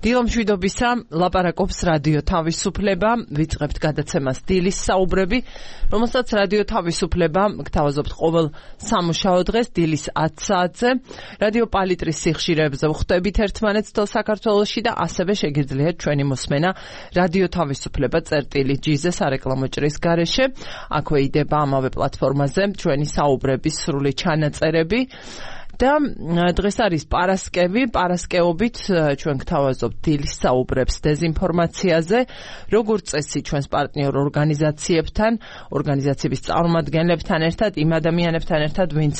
დილომშვიდობისა, ლაპარაკობს რადიო თავისუფლება, ვიწყებთ გადაცემას დილის საუბრები, რომელსაც რადიო თავისუფლება გთავაზობთ ყოველ სამუშაო დღეს დილის 10 საათზე. რადიო პალიტრის სიხშირეებზე ვხვდებით ერთმანეთს თელ საქართველოში და ასევე შეგიძლიათ ჩვენი მოსმენა რადიო თავისუფლება წერტილი-G-ზე სარეკლამო ჭრის გარეშე. აქვე იდება ამავე პლატფორმაზე ჩვენი საუბრების სრული ჩანაწერები. და დღეს არის პარასკევობით ჩვენ გთავაზობთ დილის საუბრებს დეზინფორმაციაზე, როგორც წესი ჩვენს პარტნიორ ორგანიზაციებთან, ორგანიზაციების წარმომადგენლებთან ერთად, იმ ადამიანებთან ერთად, ვინც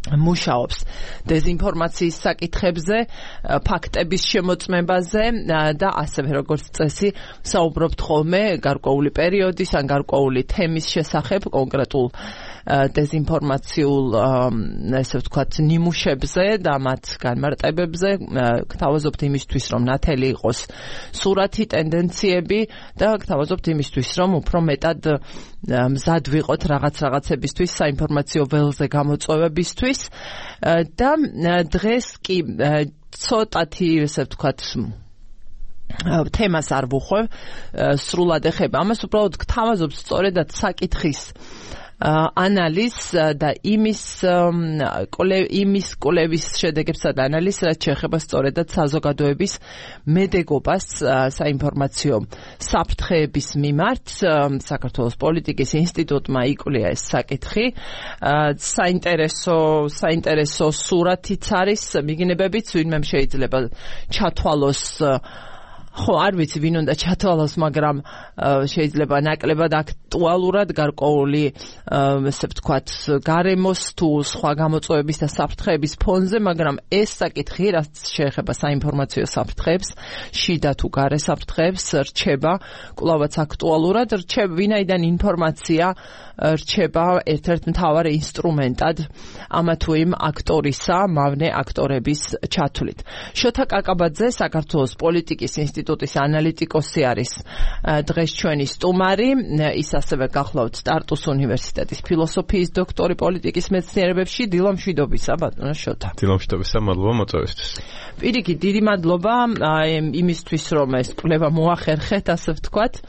მუშაობს დეზინფორმაციის საკითხებზე, ფაქტების შემოწმებაზე და ასევე როგორც წესი საუბრობთ ხოლმე გარკვეული პერიოდის ან გარკვეული თემის შესახებ, კონკრეტულ დეზინფორმაციულ, ესე ვთქვათ, ნიმუშებზე და მათ განმარტებებზე, გთავაზობთ იმისთვის, რომ ნათელი იყოს სურათი, ტენდენციები და გთავაზობთ იმისთვის, რომ უფრო მეტად მზად ვიყოთ რაღაცებისთვის, საინფორმაციო ველზე გამოწვევებისთვის და დღეს კი ცოტათი, ესე ვთქვათ, თემას არ ვუხვევ, სრულად ეხება ამას, უბრალოდ გთავაზობთ სწორედად საკითხის ანალიზს და იმის კვლევის შედეგებსა და ანალიზს, რაც შეეხება სწორედად საზოგადოების მედეგობას საინფორმაციო საფრთხეების მიმართ. საქართველოს პოლიტიკის ინსტიტუტმა იკვლია ეს საკითხი. საინტერესო სურათიც არის, მიგინებებიც ვინმე შეიძლება ჩათვალოს, ხო, არ ვიცი ვინ უნდა ჩათვალოს, მაგრამ შეიძლება ნაკლებად აქტუალურად გარკვეული, ესე ვთქვათ, გარემოს თუ სხვა გამოწვევების და საფრთხეების ფონზე, მაგრამ ეს საკითხი, რაც შეეხება საინფორმაციო საფრთხეებს, შიდა თუ გარე საფრთხეებს, რჩება კვლავაც აქტუალურად, ვინაიდან ინფორმაცია რჩება ერთ-ერთ მთავარ ინსტრუმენტად ამა თუ იმ აქტორისა, მავნე აქტორების ჩათვლით. შოთა კაკაბაძე, საქართველოს პოლიტიკის ინსტიტუტის ანალიტიკოსი არის დღეს ჩვენი სტუმარი. ის ასევე გახლავთ ტარტუს უნივერსიტეტის ფილოსოფიის დოქტორი პოლიტიკის მეცნიერებებში. დილომშვიდობისა, ბატონო შოთა. დილომშვიდობისა, მადლობა მოწვევისთვის. პირიქით, დიდი მადლობა იმისთვის, რომ ეს კვლევა მოახერხეთ, ასე ვთქვათ.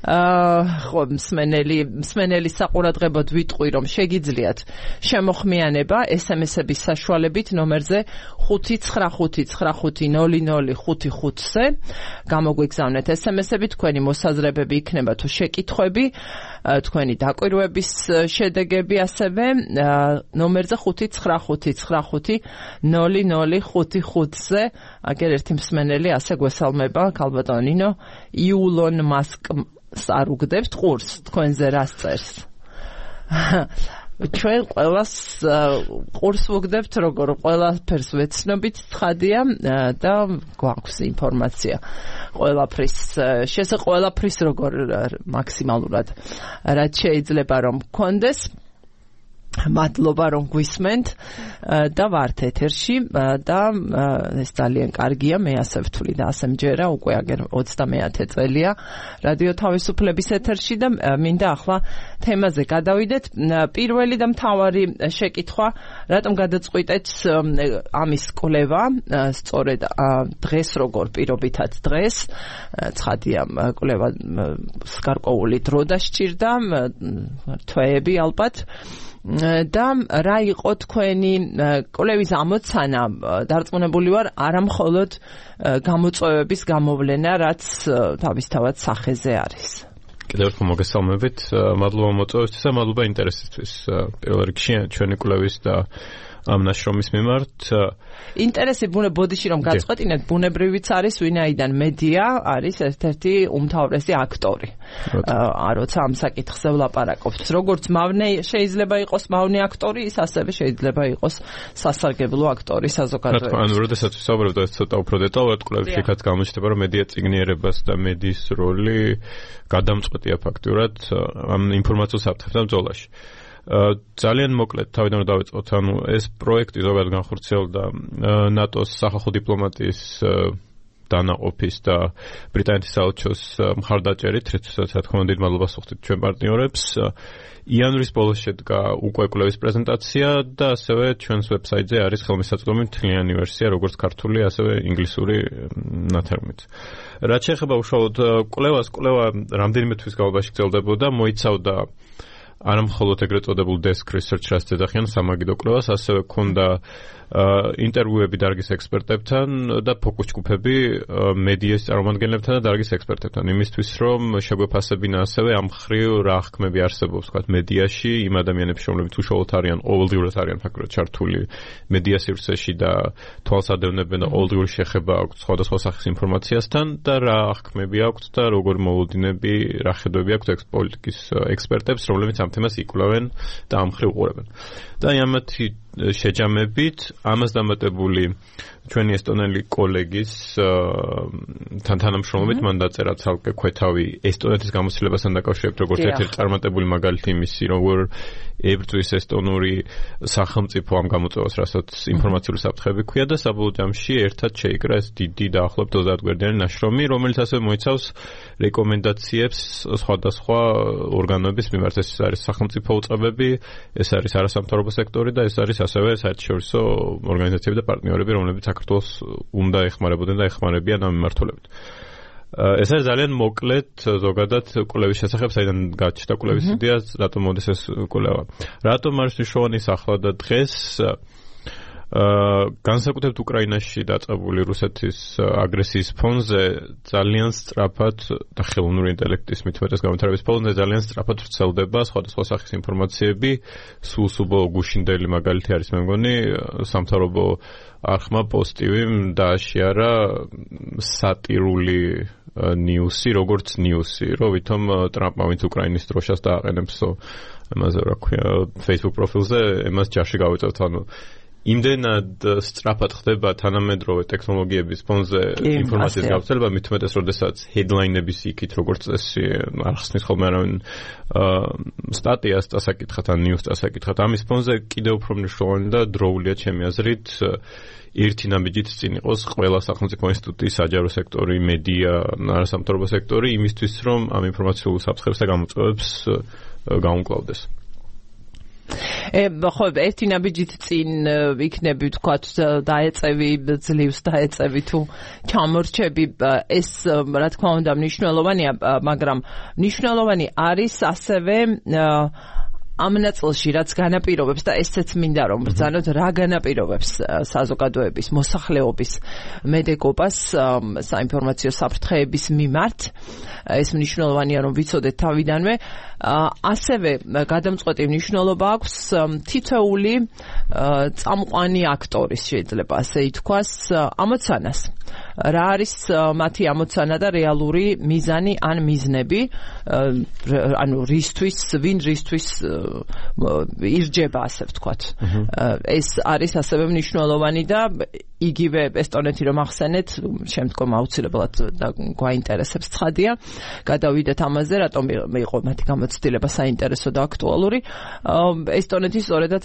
ხო, მსმენელი საყურადღებოდ ვიტყვი, რომ შეგიძლიათ შემოხმიანება SMS-ების საშუალებით ნომერზე 595500555-ზე გამოგვიგზავნეთ SMS-ები, თქვენი მოსაზრებები იქნება თუ შეკითხვები, თქვენი დაკვირვების შედეგები, ასევე ნომერზე 595500555-ზე. აგერ ერთი მსმენელი ასე გვესალმება, ქალბატონო ნინო, იულონ მასკს არ უგდებთ ყურს, თქვენზე რას წერს? ჩვენ ყველას ყურს ვუგდებთ, როგორ ყველაფერს ვეცნობით, ცხადია და გვაქვს ინფორმაცია ყველაფრის როგორ მაქსიმალურად რაც შეიძლება რომ გქონდეს. მადლობა რომ გვისმენთ და ვართ ეთერში და ეს ძალიან კარგია, მე ასე ვთვლი და ასე მჯერა, უკვე აგერ 29 წელია რადიო თავისუფლების ეთერში და მინდა ახლა თემაზე გადავიდეთ. პირველი და მთავარი შეკითხვა, რატომ გადაწყვიტეთ ამის კვლევა სწორედ დღეს, როგორ პირობითად დღეს, ცხადია კვლევა გარკვეული დრო დასჭირდა, თვეები ალბათ. და რა იყო თქვენი კვლევის ამოცანა? დარწმუნებული ვარ, არა მხოლოდ გამოწვევების გამოვლენა, რაც თავისთავად სახეზე არის. კიდევ ერთხელ მოგესალმებით, მადლობა მოწვევისთვის და მადლობა ინტერესისთვის პირველ რიგში ჩვენი კვლევის და ამ ნაშრომის მიმართ. ინტერესი ბოდიში რომ გაწყვეტინეთ, ბუნებრივიც არის, ვინაიდან მედია არის ერთ-ერთი უმთავრესი აქტორი. როცა ამ საკითხზე ვლაპარაკობთ, როგორც მავნე შეიძლება იყოს მავნე აქტორი, ის ასევე შეიძლება იყოს სასარგებლო აქტორი საზოგადოებაში. ანუ როდესაც ვსაუბრობთ ეს ცოტა უფრო დეტალურად, კვლევებში იქაც გამოჩნდება, რომ მედია წიგნიერებას და მედიის როლი გადამწყვეტია ფაქტურად ამ ინფორმაციულ საფრთხებთან ბრძოლაში. ძალიან მოკლედ თავიდან დავიწყოთ, ეს პროექტი ზოგადად განხორციელდა ნატოს სახალხო დიპლომატიის დანაყოფის და ბრიტანეთის საელჩოს მხარდაჭერით, რითაც რა თქმა უნდა დიდ მადლობას ვუხდით ჩვენ პარტნიორებს. იანვრის ბოლოს შედგა უკვე კვლევის პრეზენტაცია და ასევე ჩვენს ვებსაიტზე არის ხელმისაწვდომი მთლიანი ვერსია, როგორც ქართული, ასევე ინგლისური ნათარგმნით. რაც შეეხება უშუალოდ კვლევას, კვლევა რამდენიმე თვის განმავლობაში გრძელდებოდა, მოიცავდა არა მხოლოდ ეგრეთ წოდებულ desk research რაც ეძახიან სამაგიდო კვლევას, ასევე ქონდა ინტერვიუები დარგის ექსპერტებთან და ფოკუს ჯგუფები მედიის წარმომადგენლებთან და დარგის ექსპერტებთან, იმისთვის რომ შეგვეფასებინა ასევე ამ მხრივ რა ხმები არსებობს, ვთქვათ, მედიაში იმ ადამიანების, რომლებიც უშუალოდ არიან, ყოველდღიურად არიან ფაქტობრივად ჩართული მედია სივრცეში და თვალსადევნებენ და ყოველდღიური შეხება აქვთ სხვადასხვა სახის ინფორმაციასთან და რა ხმები აქვთ და როგორი მოლოდინები, რა ხედვები აქვთ პოლიტიკის ექსპერტებს, რომლებიც ამ თემას იკვლევენ და ამ მხრივ უყურებენ. და ამათი შეჯამებით ამას დამატებული ჩვენი ესტონელი კოლეგის თანამშრომლობით მან დაწერა ცალკე ქვეთავი ესტონეთის გამოცდილებასთან დაკავშირებით, როგორც ერთ-ერთი წარმატებული მაგალითი იმისი, როგორ ებრძვის ესტონური სახელმწიფო ამ გამოწვევას, რასაც ინფორმაციული საფრთხეები ჰქვია და საბოლოო ჯამში ერთად შეიკრა ეს დიდი დაახლოებით 30 გვერდიანი ნაშრომი, რომელიც ასევე მოიცავს რეკომენდაციებს სხვადასხვა ორგანოების მიმართ. ეს არის სახელმწიფო უწყებები, ეს არის არასამთავრობო სექტორი და ეს არის ასევე საერთაშორისო ორგანიზაციები და პარტნიორები, რომლებიც საქართველოს უნდა ეხმარებოდნენ და ეხმარებიან ამ მიმართულებით. ეს არის ძალიან მოკლედ ზოგადად კვლევის შესახებ, საიდან გაჩნდა კვლევის იდეა, რატომ მოდის ეს კვლევა. რატომ არის მნიშვნელოვანი ახლა და დღეს განსაკუთრებით უკრაინაში დაწყებული რუსეთის აგრესიის ფონზე ძალიან სწრაფად და ხელოვნური ინტელექტის მithumetes განვითარების ფონზე ძალიან სწრაფად ვრცელდება სხვადასხვა სახის ინფორმაციები, სულსუბო გუშინდელი მაგალითი არის მე მგონი სამთავრობო არხმა პოსტივიმ დააშიარა სატირული ნიუსი, როგორც ნიუსი, რომ ვითომ ტრამპმა ვინც უკრაინის დროშას დააყენებს ამაზე რა ქვია Facebook პროფილზე, εμას ჯარში გავიწევთ, ანუ იმდენად სწრაფად ხდება თანამედროვე ტექნოლოგიების ფონზე ინფორმაციის გავრცელება, მით უმეტეს, როდესაც headline-ების იქით, როგორც წესი, არ ხსნის ხოლმე არავინ სტატიას წასაკითხათ ან news წასაკითხათ. ამის ფონზე კიდევ უფრო მნიშვნელოვანი და დროულია ჩემი აზრით ერთი ნაბიჯით წინ იყოს ყველა სახელმწიფო ინსტიტუტი, საჯარო სექტორი, მედია, არასამთავრობო სექტორი, იმისთვის, რომ ამ ინფორმაციულ საფრთხებს და გამოწვევებს გაუმკლავდეს. ხო, ერთი ნაბიჯით წინ იქნები, ვთქვათ, დაეწევი, ძლივს დაეწევი თუ ჩამორჩები, ეს რა თქმა უნდა მნიშვნელოვანია, მაგრამ მნიშვნელოვანი არის ასევე ამ ნაწილში, რაც განაპირობებს და ესეც მინდა რომ ბრძანოთ, რა განაპირობებს საზოგადოების, მოსახლეობის მედეგობას საინფორმაციო საფრთხეების მიმართ. ეს მნიშვნელოვანია რომ ვიცოდეთ თავიდანვე. ასევე გადამწყვეტი მნიშვნელობა აქვს თითოეული წამყვანი აქტორის, შეიძლება ასე ითქვას, ამოცანას. რა არის მათი ამოცანა და რეალური მიზანი ან მიზნები, ანუ ვინ რისთვის ირჯება, ასე ვთქვათ. ეს არის ასევე მნიშვნელოვანი და იგივე ესტონეთი რომ ახსენეთ, შემდგომ აუცილებლად გვაინტერესებს ცხადია. გადავიდეთ ამაზე, რატომ იყო მათი გამოცდილება საინტერესო და აქტუალური. ესტონეთი სწორედად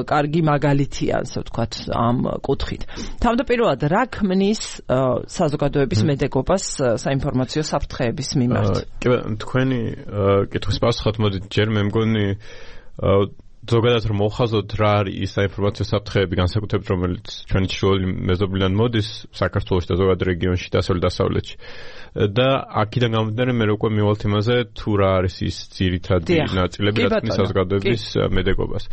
კარგი მაგალითია, ასე ვთქვათ, ამ კუთხით. თავდაპირველად რა ქმნის საზოგადოების მედეგობას საინფორმაციო საფრთხეების მიმართ? თქვენი კითხვის პასუხად მოდით ჯერ მე მგონი ზოგადად რომ მოვხაზოთ რა არის ის საინფორმაციო საფრთხეები, განსაკუთრებით რომელიც ჩვენი ჩრდილოეთი მეზობლიდან მოდის საქართველოში და ზოგადად რეგიონში და დასავლეთში. და აქედან გამომდინარე მე უკვე მივალთ იმაზე თუ რა არის ის ძირითადი ნაწილები, რაც ქმნის საზოგადოების მედეგობას.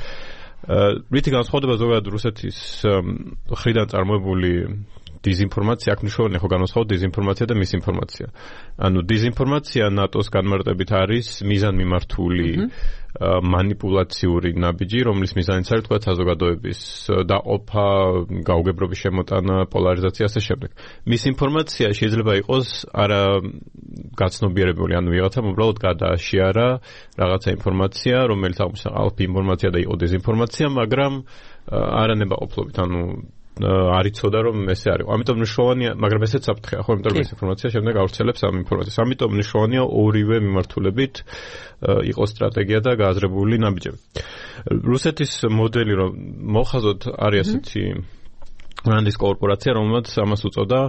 რითი განსხვავდება ზოგადად რუსეთის მხრიდან წარმოებული დიზინფორმაცია, აქ მნიშვნელოვანია ხო განსხვავოთ დიზინფორმაცია და მისინფორმაცია. ანუ დიზინფორმაცია ნატოს განმარტებით არის მიზანმიმართული манипуляციური ნაბიჯი, რომლის მიზანიც არის თქვა საზოგადოების დაყოფა, გაუგებრობის შემოტანა, პოლარიზაცია ასე შემდეგ. მისინფორმაცია შეიძლება იყოს არა გაცნობიერებული, ანუ ვიღაცამ უბრალოდ გადააშიარა რაღაცა ინფორმაცია, რომელიც აღმოჩნდა ალფი ინფორმაცია და იყო დეზინფორმაცია, მაგრამ არანებაყოფლობით, ანუ არიცოდა რომ ესე არის. ამიტომ მნიშვნელოვანია, მაგრამ ესეც საფრთხეა, ხო, იმიტომ რომ ეს ინფორმაცია შემდეგ ავრცელებს ამ ინფორმაციას. ამიტომ მნიშვნელოვანია ორივე მიმართულებით იყოს სტრატეგია და გააზრებული ნაბიჯები. რუსეთის მოდელი რომ მოხაზოთ არის ასეთი რანდის კორპორაცია, რომელსაც ამას უწოდა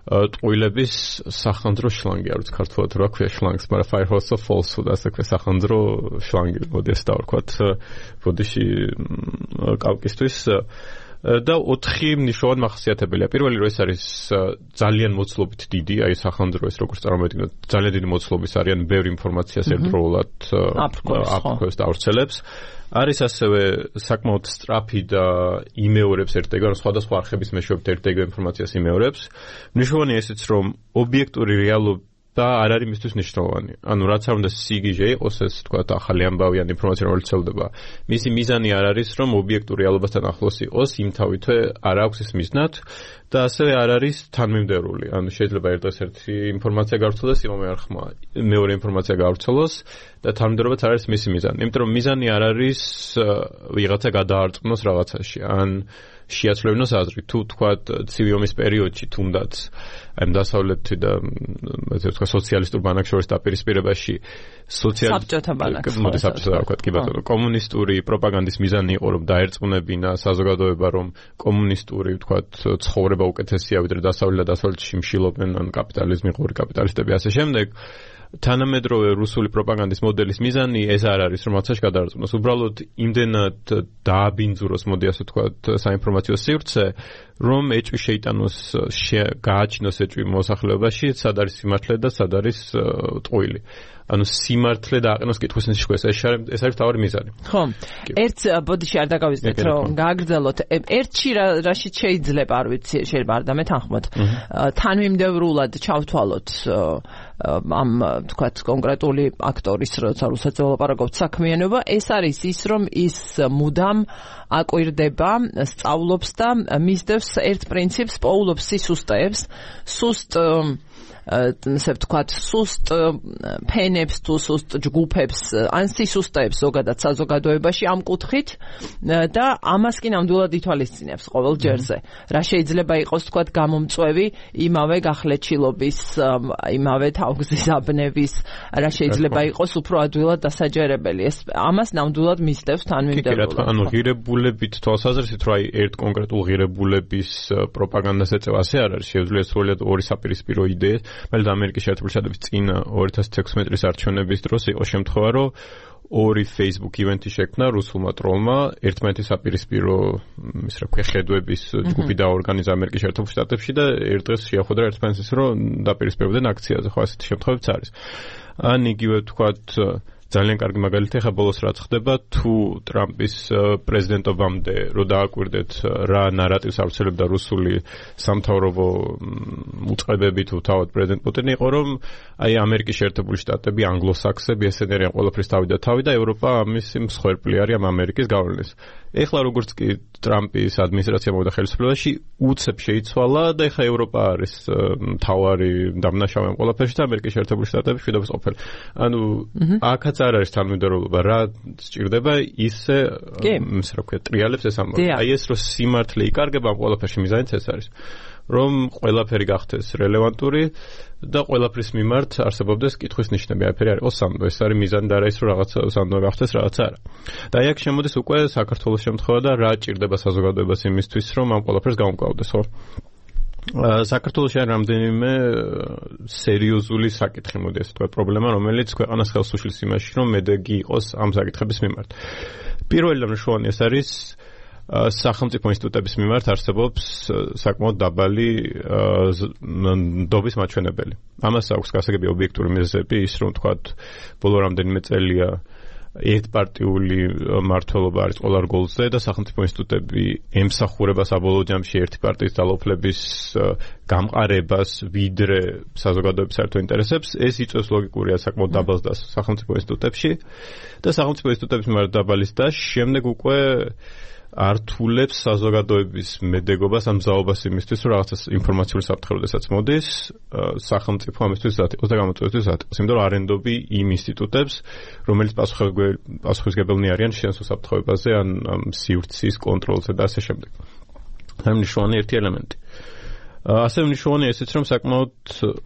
ტყუილების სახანძრო შლანგი არის ქართულად რა ქვია შლანგს, მაგრამ Firehose of Falsehood ასე ქვია სახანძრო შლანგი, მოდი ეს დავარქვათ ბოდიში კავკისთვის და 4 მნიშვნელოვანი მახასიათებელია. პირველი რომ ეს არის ძალიან მოცულობით დიდი, აი სახანძრო ეს როგორც წარმოვიდგინოთ, ძალიან დიდი მოცულობის არიან, ბევრი ინფორმაციას ერთდროულად აფრქვევს და ავრცელებს. არის ასევე საკმაოდ სწრაფი და იმეორებს ერთ-ერთად, სხვადასხვა არხების მეშვეობით ერთ-ერთად ინფორმაციას იმეორებს. მნიშვნელოვანია ესეც, რომ ობიექტური რეალობა არ არის მისთვის მნიშვნელოვანი. ანუ რაც არ უნდა სიგიჟე იყოს ეს თქვა ახალი ამბავი ან ინფორმაცია რომელიც ვრცელდება. მისი მიზანი არ არის რომ ობიექტურ რეალობასთან ახლოს იყოს, იმთავითვე არ აქვს ეს მიზნად და ასევე არ არის თანმიმდევრული. ანუ შეიძლება ერთ დღეს ერთი ინფორმაცია გავრცელდეს, იმავე არხმა მეორე ინფორმაცია გავრცელოს და თანმიმდევრობაც არ არის მისი მიზანი. იმიტომ რომ მიზანი არ არის ვიღაცა გადაარწმუნოს რაღაცაში ან შეაცვლებინოს აზრი. თუ თქვათ ცივი ომის პერიოდში თუნდაც ამ დასავლეთი და ესე ვთქვა სოციალისტურ ბანაკს შორის დაპირისპირებაში საბჭოთა ბანაკს კომუნისტური პროპაგანდის მიზანი იყო რომ დაერწმუნებინა საზოგადოება რომ კომუნისტური ვთქვათ ცხოვრება უკეთესია ვიდრე დასავლეთ და დასავლეთში მშილობენ ან კაპიტალიზმი ღორი კაპიტალისტები ასე შემდეგ. თანამედროვე რუსული პროპაგანდის მოდელის მიზანი ეს არ არის რომ რაღაცაში გადაარწმუნოს, უბრალოდ იმდენად დააბინძუროს, მოდი ასე ვთქვათ, საინფორმაციო სივრცე, რომ ეჭვი შეიტანოს, გააჩინოს ეჭვი მოსახლეობაში, სად არის სიმართლე და სად არის ტყუილი. ანუ სიმართლე დააყენოს კითხვის ნიშნებს, ეს არის თავი მიზანი. ხო. ერთ ბოდიში არ დაგავიწყდეთ, რომ გააგრძელოთ. ერთში რაშიც შეიძლება, არ ვიცი, შეიძლება არ დამეთანხმოთ. თანმიმდევრულად ჩავთვალოთ ამ თქვათ კონკრეტული აქტორის როცა რუსეთს ველაპარაკობთ საქმიანობა, ეს არის ის რომ ის მუდამ აკვირდება, სწავლობს და მისდევს ერთ პრინციპს, პოულობს სისუსტეებს, სუსტ ესე ვთქვათ, სუსტ ფენებს თუ სუსტ ჯგუფებს ან სისუსტეებს ზოგადად საზოგადოებაში ამ კუთხით და ამას კი ნამდვილად ითვალისწინებს ყოველ ჯერზე. რა შეიძლება იყოს ვთქვათ გამომწვევი იმავე გახლეჩილობის, იმავე თავგზის აბნევის, რა შეიძლება იყოს უფრო ადვილად დასაჯერებელი. ეს ამას ნამდვილად მისდევს თანმიმდევრულად. ანუ ღირებულებით თვალსაზრისით რა ერთ კონკრეტულ ღირებულების პროპაგანდას ეწევა ასე არ არის, შეუძლია სრულად ორი საპირისპირო იდეა. მელდა ამერიკის შეერთებული შტატების წინ 2016 წლის არჩევნების დროს იყო შემთხვევა, რომ ორი Facebook ივენთი შექმნა რუსულმა ტროლმა, ერთმანეთის საპირისპირო ის რა ქვია ხედვების ჯგუფი დაორგანიზა ამერიკის შეერთებულ შტატებში და ერთ დღეს შეახვედრა ერთმანეთის რომ დაპირისპირებდნენ აქციაზე, ხო ასეთი შემთხვევებიც არის. ან იგივე ვთქვათ ძალიან კარგი მაგალითი ხა ბოლოს რაც ხდება თუ ტრამპის პრეზიდენტობამდე რო დააკვირდეთ რა ნარატივს ავრცელებდა რუსული სამთავრობო უწყებები თუ თავად პრეზიდენტ პუტინი იყო რომ აი ამერიკის შეერთებული შტატები ანგლოსაქსები ესენი არიან ყველაფრის თავი და თავი და ევროპა ამის მსხვერპლი არის ამ ამერიკის გავლენის. ეხლა როგორც კი ტრამპის ადმინისტრაცია მოვიდა ხელისუფლებაში უცებ შეიცვალა და ეხლა ევროპა არის მთავარი დამნაშავე ამ ყველაფერში და ამერიკის შეერთებული შტატები შვიდობის ყოფილი. ანუ აქაც არ არის თანმიმდევრობა, რა სჭირდება ისე რა ქვია ტრიალებს ეს ამბავი. აი ეს რომ სიმართლე იკარგება ამ ყველაფერში მიზანიც ეს არის. რომ ყველაფერი გახდეს რელევანტური და ყველაფრის მიმართ არსებობდეს კითხვის ნიშნები. აი ფერი არის ოსამდო, ეს არის მიზანი და რა ის რომ რაღაცა ოსამდო გახდეს, რაღაცა არა. და აი აქ შემოდის უკვე საქართველოს შემთხვევა და რა ჭირდება საზოგადოებას იმისთვის, რომ ამ ყველაფერს გამოვკლავდეს, ხო? საქართველოში არის რამდენიმე სერიოზული საკითხი, მოდი ასე ვთქვათ, პრობლემა, რომელიც ქვეყანას ხელს უშლის იმაში, რომ მედეგი იყოს ამ საკითხების მიმართ. პირველი და მნიშვნელოვანი ეს არის სახელმწიფო ინსტიტუტების მიმართ არსებობს საკმაოდ დაბალი ნდობის მაჩვენებელი. ამას აქვს გასაგები ობიექტური მიზეზები, ის რომ ვთქვათ, ბოლო რამდენიმე წელია ერთპარტიული მმართველობა არის ყველა რგოლზე და სახელმწიფო ინსტიტუტები ემსახურება საბოლოო ჯამში ერთი პარტიის ძალაუფლების გამყარებას ვიდრე საზოგადოების საერთო ინტერესებს. ეს იწვევს ლოგიკურია საკმაოდ დაბალ დას სახელმწიფო ინსტიტუტებში და სახელმწიფო ინსტიტუტების მიმართ დაბალის და შემდეგ უკვე ართულებს საზოგადოების მედეგობას ამ ზაობას იმისთვის, რომ რაღაცა ინფორმაციული საფრთხე როდესაც მოდის, სახელმწიფო ამისთვის ზად იყოს და გამოწვევისთვის ზად იყოს. იმიტომ რომ არენდობი იმ ინსტიტუტებს, რომელიც პასუხისმგებელნი არიან შენსო საფრთხეებაზე, ან სივრცის კონტროლზე და ასე შემდეგ. ამ მნიშვნელოვანი ერთი ელემენტი. ასევე მნიშვნელოვანია ესეც, რომ საკმაოდ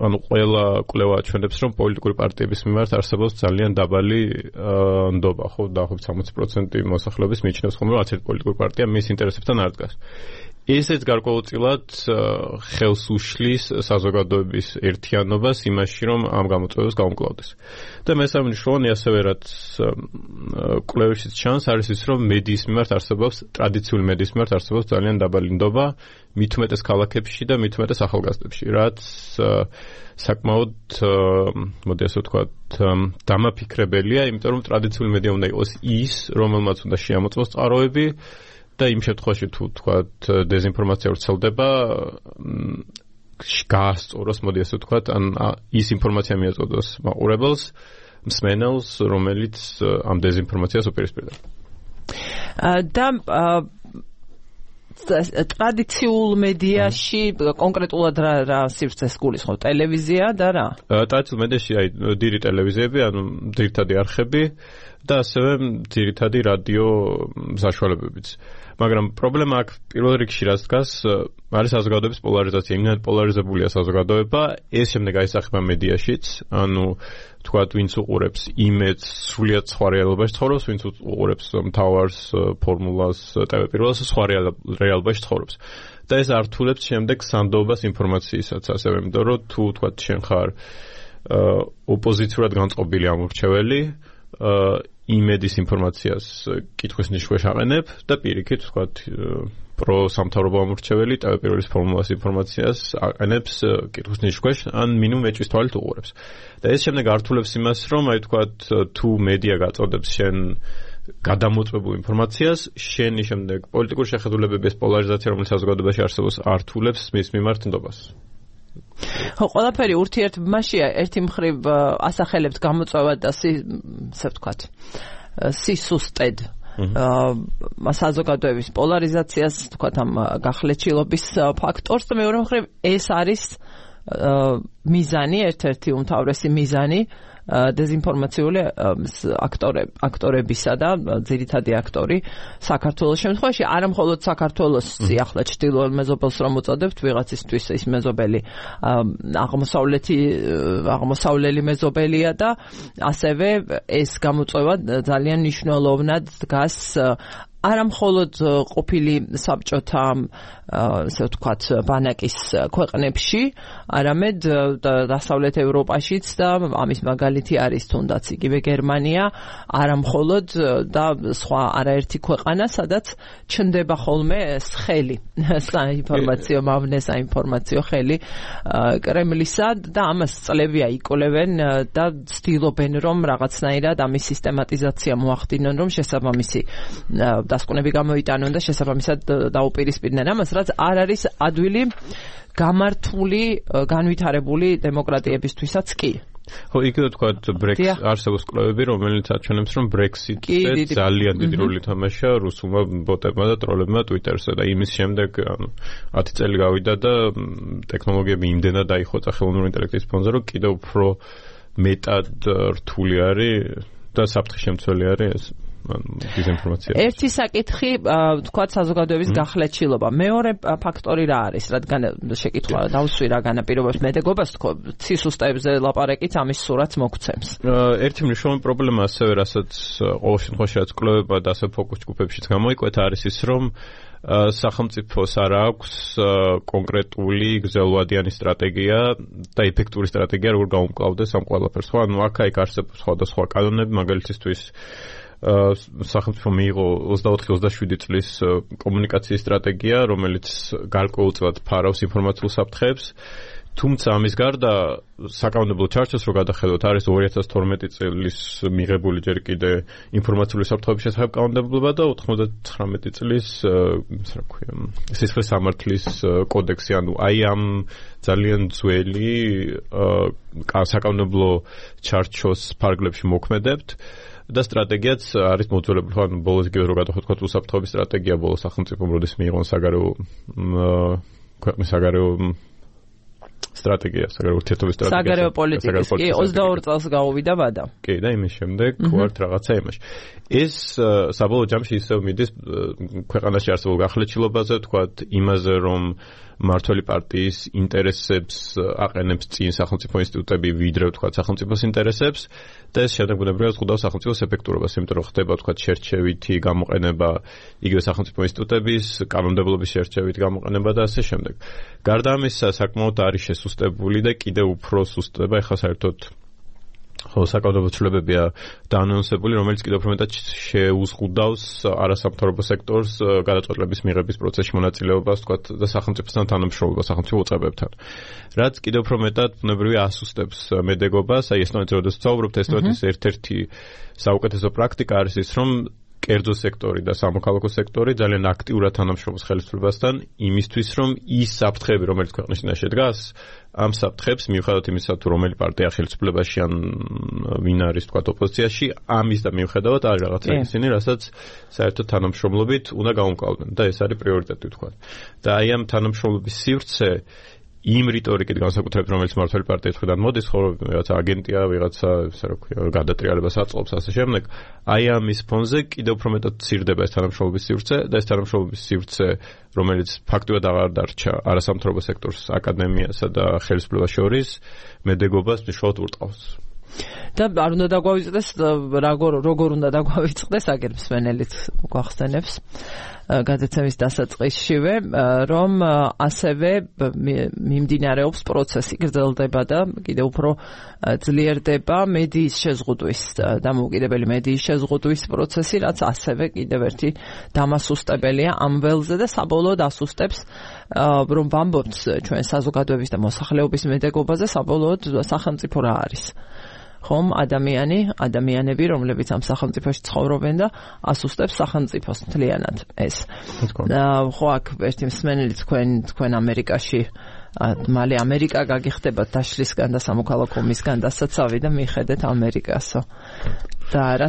ანუ ყველა კვლევა აჩვენებს, რომ პოლიტიკური პარტიების მიმართ არსებობს ძალიან დაბალი ნდობა, ხო, დაახლოებით 60% მოსახლეობის მიიჩნევს ხომ, რომ არც ერთი პოლიტიკური პარტია მის ინტერესებთან არ დგას. ესეც გარკვეულწილად ხელს უშლის საზოგადოების ერთიანობას იმაში, რომ ამ გამოწვევას გაუმკლავდეს. და მესამე მნიშვნელოვანი ასევე რაც კვლევებშიც ჩანს, არის ის, რომ მედიის მიმართ არსებობს, ტრადიციული მედიის მიმართ არსებობს ძალიან დაბალი ნდობა, მით უმეტეს ქალაქებში და მით უმეტეს ახალგაზრდებში, რაც საკმაოდ, მოდი ასე ვთქვათ, დამაფიქრებელია, იმიტომ რომ ტრადიციული მედია უნდა იყოს ის, რომელმაც უნდა შეამოწმოს წყაროები და იმ შემთხვევაში თუ ვთქვათ დეзინფორმაცია ვრცელდება, გაასწოროს, მოდი ასე ვთქვათ, ან ის ინფორმაცია მიაწოდოს მაყურებელს, მსმენელს, რომელიც ამ დეзინფორმაციას უპირისპირდება. და ტრადიციულ მედიაში კონკრეტულად რა სივრცეს გულისხმობ? ტელევიზია და რა? ტრადიციულ მედიაში დიდი ტელევიზიები, ანუ ძირითადი არხები და ასევე ძირითადი რადიო საშუალებებიც. მაგრამ პრობლემა აქ პირველ რიგში რაც დგას, არის საზოგადოების პოლარიზაცია. იმდენად პოლარიზებულია საზოგადოება, ეს შემდეგ აისახება მედიაშიც, ანუ თქვათ, ვინც უყურებს იმედს, სრულიად სხვა რეალობაში ცხოვრობს, ვინც უყურებს მთავარს, ფორმულას, ტელეპირველს, სხვა რეალობაში ცხოვრობს. და ეს ართულებს შემდეგ სანდოობას ინფორმაციისაც, ასევე იმიტომ რომ თუ თქვათ, შენ ხარ ოპოზიციურად განწყობილი ამორჩეველი, იმედის ინფორმაციას კითხვის ნიშნულს აყენებ და პირიქით, თქვათ, პროსამთავრობო ამორჩეველი ტელეპირველის ფორმულას ინფორმაციას აყენებს კითხვის ნიშნულს, ან მინიმუმ ეჭვის თვალით უყურებს. და ეს შემდეგ ართულებს იმას, რომ აი თქვათ, თუ მედია გაწოდებს შენ გადამოწმებულ ინფორმაციას, შენი შემდეგ პოლიტიკური შეხედულებების პოლარიზაცია, რომელიც საზოგადოებაში არსებობს, ართულებს მის მიმართ ნდობას. ხო, ყველაფერი ურთიერთობაშია, ერთი მხრივ ასახელებთ გამოწვევად და ასე ვთქვათ, სისუსტედ საზოგადოების პოლარიზაციას, ვთქვათ, ამ გახლეჩილობის ფაქტორს და მეორე მხრივ ეს არის მიზანი, ერთ-ერთი უმთავრესი მიზანი დეзინფორმაციული აქტორებისა და ძირითადი აქტორი საქართველოს შემთხვევაში, არა მხოლოდ საქართველოს ახლა ჩრდილოეთ მეზობელს რომ უწოდებთ ვიღაცისთვის, ის მეზობელი აღმოსავლელი მეზობელია და ასევე ეს გამოწვევა ძალიან მნიშვნელოვნად დგას არა მხოლოდ ყოფილი საბჭოთა, ასე ვთქვათ, ბანაკის ქვეყნებში, არამედ დასავლეთ ევროპაშიც და ამის მაგალითი არის თუნდაც იგივე გერმანია, არა მხოლოდ და სხვა არაერთი ქვეყანა, სადაც ჩნდება ხოლმე ხელი, საინფორმაციო მავნე, საინფორმაციო ხელი კრემლისა და ამას წლებია იკვლევენ და ცდილობენ რომ რაღაცნაირად ამის სისტემატიზაცია მოახდინონ, რომ შესაბამისი დასკვნები გამოიტანონ და შესაბამისად დაუპირისპირდნენ ამას, რაც არ არის ადვილი გამართული, განვითარებული დემოკრატიებისთვისაც კი. ხო, იგივე თქვათ, არსებობს კვლევები, რომელიც აჩვენებს, რომ ბრექსიტზე ძალიან დიდი როლი თამაშია რუსულმა ბოტებმა და ტროლებმა ტვიტერზე და იმის შემდეგ 10 წელი გავიდა და ტექნოლოგიები იმდენად დაიხოცა ხელოვნური ინტელექტის ფონზე, რომ კიდევ უფრო მეტად რთული არის და საფრთხის შემცველი არის დეзინფორმაცია. ერთი საკითხი, თქვათ, საზოგადოების გახლეჩილობა. მეორე ფაქტორი რა არის, რადგან შეკითხვა დავსვი რა განაპირობებს მედეგობას, თქო, სისუსტეებზე ლაპარაკით ამის სურათს მოგცემს. ერთი მნიშვნელოვანი პრობლემა ასევე, რასაც ყოველ შემთხვევაში რაც კვლევება და ასე ფოკუს ჯგუფებშიც გამოიკვეთა, არის ის, რომ სახელმწიფოს არ აქვს კონკრეტული გრძელვადიანი სტრატეგია და ეფექტური სტრატეგია, როგორ გაუმკლავდეს ამ ყველაფერს. ხო, ანუ აქ-იქ არსებობს სხვადასხვა კანონები, მაგალითისთვის სახელმწიფო მიიღო 24-27 წლის კომუნიკაციის სტრატეგია, რომელიც გარკვეულწილად ფარავს ინფორმაციულ საფრთხეებს. თუმცა ამის გარდა საკანონმდებლო ჩარჩოს რო გადახედოთ, არის 2012 წლის მიღებული ჯერ კიდე ინფორმაციული საფრთხეების შესახებ კანონმდებლობა და 99 წლის სისხლის სამართლის კოდექსი, ანუ აი ამ ძალიან ძველი საკანონმდებლო ჩარჩოს ფარგლებში მოქმედებთ. და სტრატეგიაც არის მოძველებული, ანუ ბოლოს იგივე რო გადავხედოთ უსაფრთხოების სტრატეგია ბოლოს სახელმწიფომ როდის მიიღო ქვეყნის საგარეო სტრატეგია, საგარეო ურთიერთობის სტრატეგია. საგარეო პოლიტიკის, კი, 22 წელს გაუვიდა ვადა. კი, და იმის შემდეგ ვართ რაღაცა იმაში. ეს საბოლოო ჯამში ისევ მიდის ქვეყანაში არსებულ გახლეჩილობაზე, თქვათ, იმაზე, რომ მმართველი პარტიის ინტერესებს აყენებს წინ სახელმწიფო ინსტიტუტები ვიდრე ვთქვათ სახელმწიფოს ინტერესებს და ეს შემდეგ ბუნებრივად ზღუდავს სახელმწიფოს ეფექტურობას, იმიტომ რომ ხდება ვთქვათ შერჩევითი გამოყენება იგივე სახელმწიფო ინსტიტუტების კანონმდებლობის შერჩევითი გამოყენება და ასე შემდეგ. გარდა ამისა, საკმაოდ არის შესუსტებული და კიდევ უფრო სუსტდება ახლა საერთოდ საკანონმდებლო ცვლილებებია დაანონსებული, რომელიც კიდევ უფრო მეტად შეუზღუდავს არასამთავრობო სექტორს გადაწყვეტილების მიღების პროცესში მონაწილეობას, თქვათ, და სახელმწიფოსთან თანამშრომლობას, სახელმწიფო უწყებებთან. რაც კიდევ უფრო მეტად ბუნებრივია ასუსტებს მედეგობას, აი ესტონეთზე როდესაც ვსაუბრობთ, ესტონეთის ერთ-ერთი საუკეთესო პრაქტიკა არის ის, რომ კერძო სექტორი და სამოქალაქო სექტორი ძალიან აქტიურად თანამშრომლობს ხელისუფლებასთან იმისთვის, რომ ის საფრთხეები, რომელიც ქვეყნის წინაშე დგას, ამ საფრთხებს მიუხედავად იმისა, თუ რომელი პარტია ხელისუფლებაში ან ვინ არის თქვათ ოპოზიციაში, ამის და მიუხედავად არის რაღაცა ისინი, რასაც საერთოდ თანამშრომლობით უნდა გაუმკლავდნენ და ეს არის პრიორიტეტი თქვათ. და აი ამ თანამშრომლობის სივრცე იმ რიტორიკით განსაკუთრებით, რომელიც მმართველი პარტიის მხრიდან მოდის, ხო, ვიღაცა აგენტია, ვიღაცა, ესე რა ქვია, გადატრიალებას აწყობს ასე შემდეგ. აი ამის ფონზე კიდევ უფრო მეტად ცირდება ეს თანამშრომლობის სივრცე და ეს თანამშრომლობის სივრცე, რომელიც ფაქტობრივად აღარ დარჩა არასამთავრობო სექტორს, აკადემიასა და ხელისუფლებას შორის, მედეგობას მნიშვნელოვნად ურტყავს. და არ უნდა დაგვავიწყდეს, როგორ უნდა დაგვავიწყდეს, აგერ მსმენელიც გვახსენებს გადაცემის დასაწყისშივე, რომ ასევე მიმდინარეობს პროცესი, გრძელდება და კიდევ უფრო ძლიერდება მედიის შეზღუდვის, დამოუკიდებელი მედიის შეზღუდვის პროცესი, რაც ასევე კიდევ ერთი დამასუსტებელია ამ ველზე და საბოლოოდ ასუსტებს, რომ ვამბობთ ჩვენ საზოგადოების და მოსახლეობის მედეგობაზე, საბოლოოდ სახელმწიფო რა არის. ხომ ადამიანები, რომლებიც ამ სახელმწიფოში ცხოვრობენ და ასუსტებს სახელმწიფოს მთლიანად ეს. ხო, აქ ერთი მსმენელი თქვენ ამერიკაში მალე ამერიკა გაგიხდებათ დაშლისგან და სამოქალაქო ომისგან დასაცავი და მიხედეთ ამერიკასო. და არა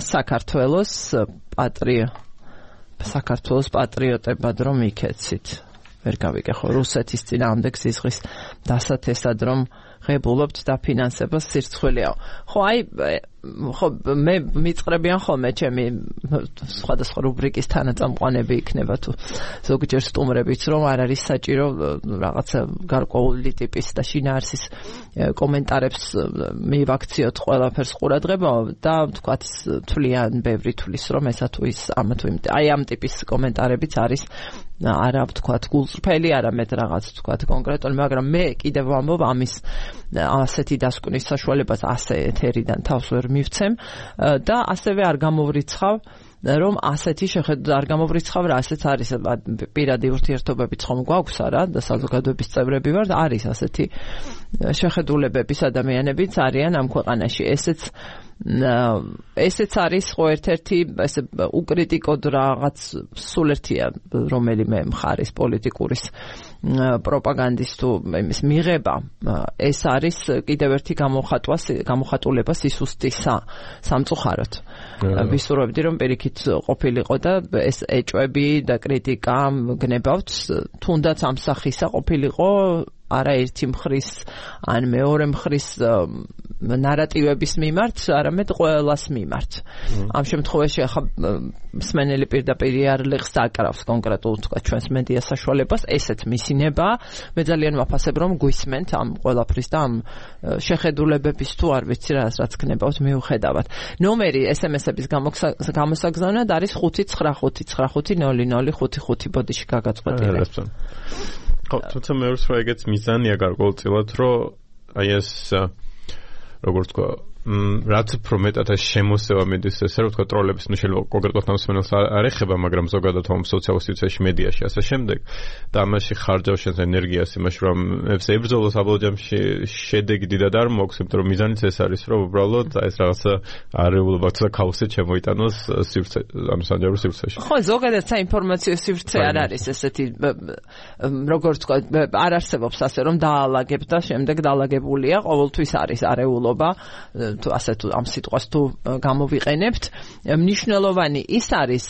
საქართველოს პატრიოტებად რომ იქეცით. ვერ გავიგე ხო რუსეთის წინააღმდეგ სისხლის დასათესად რომ ღებულობთ დაფინანსებას სირცხვილიაო. ხო აი ხო მე მიწყრებიან ხოლმე ჩემი სხვადასხვა რუბრიკის თანაწამყვანები იქნება თუ ზოგჯერ სტუმრებიც რომ არ არის საჭირო რაღაცა გარკვეული ტიპის და შინაარსის კომენტარებს მივაქციოთ ყველაფერს ყურადღება და თქვათ თვლიან ბევრი თვლის რომ ესა თუ ის ამა თუ იმ აი ამ ტიპის კომენტარებიც არის არა ვთქვათ გულწრფელი არამედ რაღაც ვთქვათ კონკრეტული მაგრამ მე კიდევ ვამბობ ამის ასეთი დასკვნის საშუალებას ასე ეთერიდან თავს ვერ მივცემ და ასევე არ გამოვრიცხავ რომ ასეთი შეხედვით არ გამოვრიცხავ რა ასეც არის პირადი ურთიერთობებიც ხომ გვაქვს არა და საზოგადოების წევრები ვართ არის ასეთი შეხედულებების ადამიანებიც არიან ამ ქვეყანაში ესეც არის ხო ერთ-ერთი ესე უკრიტიკოდ რაღაც სულ ერთია რომელიმე მხარის პოლიტიკურის პროპაგანდის თუ იმის მიღება ეს არის კიდევ ერთი გამოხატულება სისუსტისა სამწუხაროდ ვისურვებდი რომ პირიქით ყოფილიყო და ეს ეჭვები და კრიტიკა გნებავთ თუნდაც ამ სახისა ყოფილიყო არა ერთი მხრის ან მეორე მხრის ნარატივების მიმართ, არამედ ყველას მიმართ. ამ შემთხვევაში ახლა მსმენელი პირდაპირ იარლიხს აკრავს კონკრეტულ თქვა ჩვენს მედია საშუალებას, ესეც მისინება. მე ძალიან ვაფასებ რომ გვისმენთ ამ ყველაფრის და ამ შეხედულებების თუ არ ვიცი რაც გნებავთ მიუხედავად. ნომერი SMS-ების გამოსაგზავნად არის 595500555 ბოდიში გაგაწყვეტილი. ხო, თუმცა მე ვსვლა ეგეც მიზანია გარკვეულწილად, რომ აი ეს როგორც თქვა, რაც უფრო მეტად შემოსევა მიდის ესე რომ თქვა ტროლების ნუ შეიძლება კონკრეტულად ამსმენელს არ ეხება, მაგრამ ზოგადად ამ სოციალურ სივრცეში მედიაში ასე შემდეგ და ამაში ხარჯავს შენს ენერგიას იმაში რომ ეს ებრძოლოს საბოლოო ჯამში შედეგი დიდად არ მოაქვს, იმიტომ რომ მიზანიც ეს არის რომ უბრალოდ ეს რაღაცა არეულობა და ქაოსი შემოიტანოს სივრცე ანუ სანჯაყურ სივრცეში. ხო, ზოგადად საინფორმაციო სივრცე არ არის ესეთი როგორც თქვა არ არსებობს ასე რომ დაალაგებ და შემდეგ დაალაგებულია, ყოველთვის არის არეულობა თუ ასე თუ ამ სიტყვას თუ გამოვიყენებთ მნიშვნელოვანი ის არის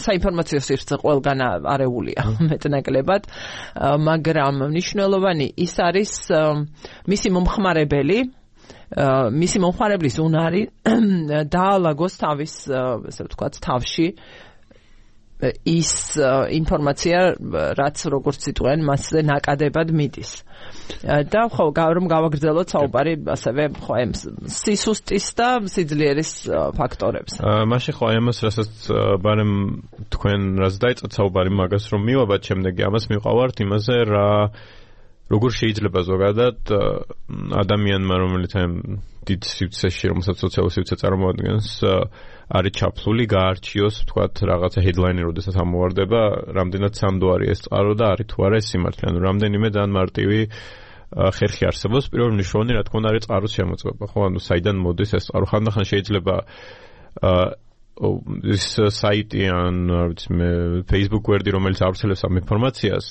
საინფორმაციო სივრცე ყველგან არეულია მეტნაკლებად მაგრამ მნიშვნელოვანი ის არის მისი მომხმარებლის უნარი დაალაგოს თავის ასე ვთქვათ თავში ის ინფორმაცია, რაც როგორც იტყვიან, მასზე ნაკადებად მიდის. და ხო, რომ გავაგრძელოთ საუბარი ასევე ხო ამ სისუსტის და სიძლიერის ფაქტორებზე. მაშინ ხო ამას რასაც ბარემ თქვენ რაც დაიწყეთ საუბარი მაგას რომ მივაბად შემდეგი ამას მივყავართ იმაზე როგორ შეიძლება ზოგადად ადამიანმა რომელიც ამ დიდ სივრცეში რომელსაც სოციალური სივრცე წარმოადგენს არის ჩაფლული გაარჩიოს თქვათ რაღაცა headline-ი როდესაც ამოვარდება რამდენად სანდოარი ეს წყარო და არის თუ არა ეს სიმართლე ანუ რამდენიმე ძალიან მარტივი ხერხი არსებობს პირველ მნიშვნელოვანი რა თქმა უნდა არის წყაროს შემოწმება ხო ანუ საიდან მოდის ეს წყარო ხანდახან შეიძლება ის საიტი ან ვიცი მე Facebook გვერდი რომელიც ავრცელებს ამ ინფორმაციას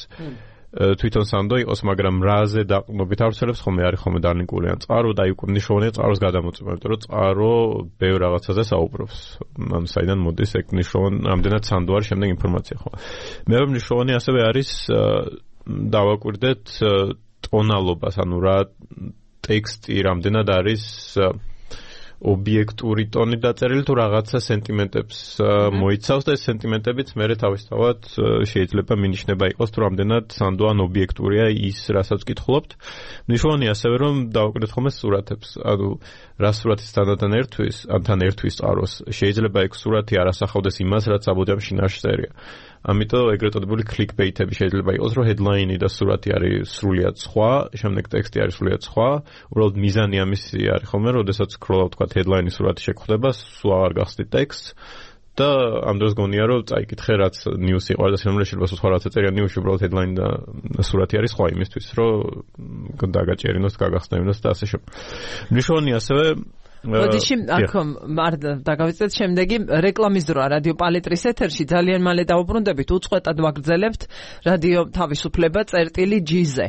თვითონ სანდო იყოს, მაგრამ რაზე დაყრდნობით ავრცელებს ხოლმე არის ხოლმე დალინკული ან წყარო და იქ მნიშვნელოვანია წყაროს გადამოწმება, იმიტომ რომ წყარო ბევრ რაღაცაზე საუბრობს. ანუ საიდან მოდის ეგ მნიშვნელოვანი რამდენად სანდო არის შემდეგ ინფორმაცია ხო. მეორე მნიშვნელოვანი ასევე არის დავაკვირდეთ ტონალობას, ანუ რა ტექსტი რამდენად არის ობიექტური ტონი დაწერილი თუ რაღაცა სენტიმენტებს მოიცავს და ეს სენტიმენტებიც მერე თავისთავად შეიძლება მინიშნება იყოს თუ რამდენად სანდო ან ობიექტურია ის რასაც ვკითხულობთ. მნიშვნელოვანია ასევე რომ დავაკვირდეთ ხოლმე სურათებს. ანუ რა სურათის თან ერთვის, ან თან ერთვის წყაროს. შეიძლება ეგ სურათი არ ასახავდეს იმას, რაც აბოდამ შინაარსში წერია. ამიტომ ეგრეთ წოდებული clickbait-ები შეიძლება იყოს, რომ headline-ი და სურათი არის სრულიად სხვა, შემდეგ ტექსტი არის სრულიად სხვა. უბრალოდ მიზანი ამისი არის ხოლმე, როდესაც scroll-ავ თქვა headline-ი სურათი შეგხვდება, სულ აღარ გახსნით ტექსტს და ამ დროს გონია რომ წაიკითხე რაც news-ი ყავს და შემიძლია შეიძლება სხვა რაც წერია news-ში უბრალოდ headline და სურათი არის სხვა იმისთვის, რომ დაგაჭერინოს, გაგახსნევინოს და ასე შემდეგ. მნიშვნელოვანია ასევე მოდიში აქ დაგავიწყეთ შემდეგი რეკლამის დროა რადიო პალიტრის ეთერში ძალიან მალე დავუბრუნდებით უწყვეტად ვაგრძელებთ რადიო თავისუფლება წერტილი G-ზე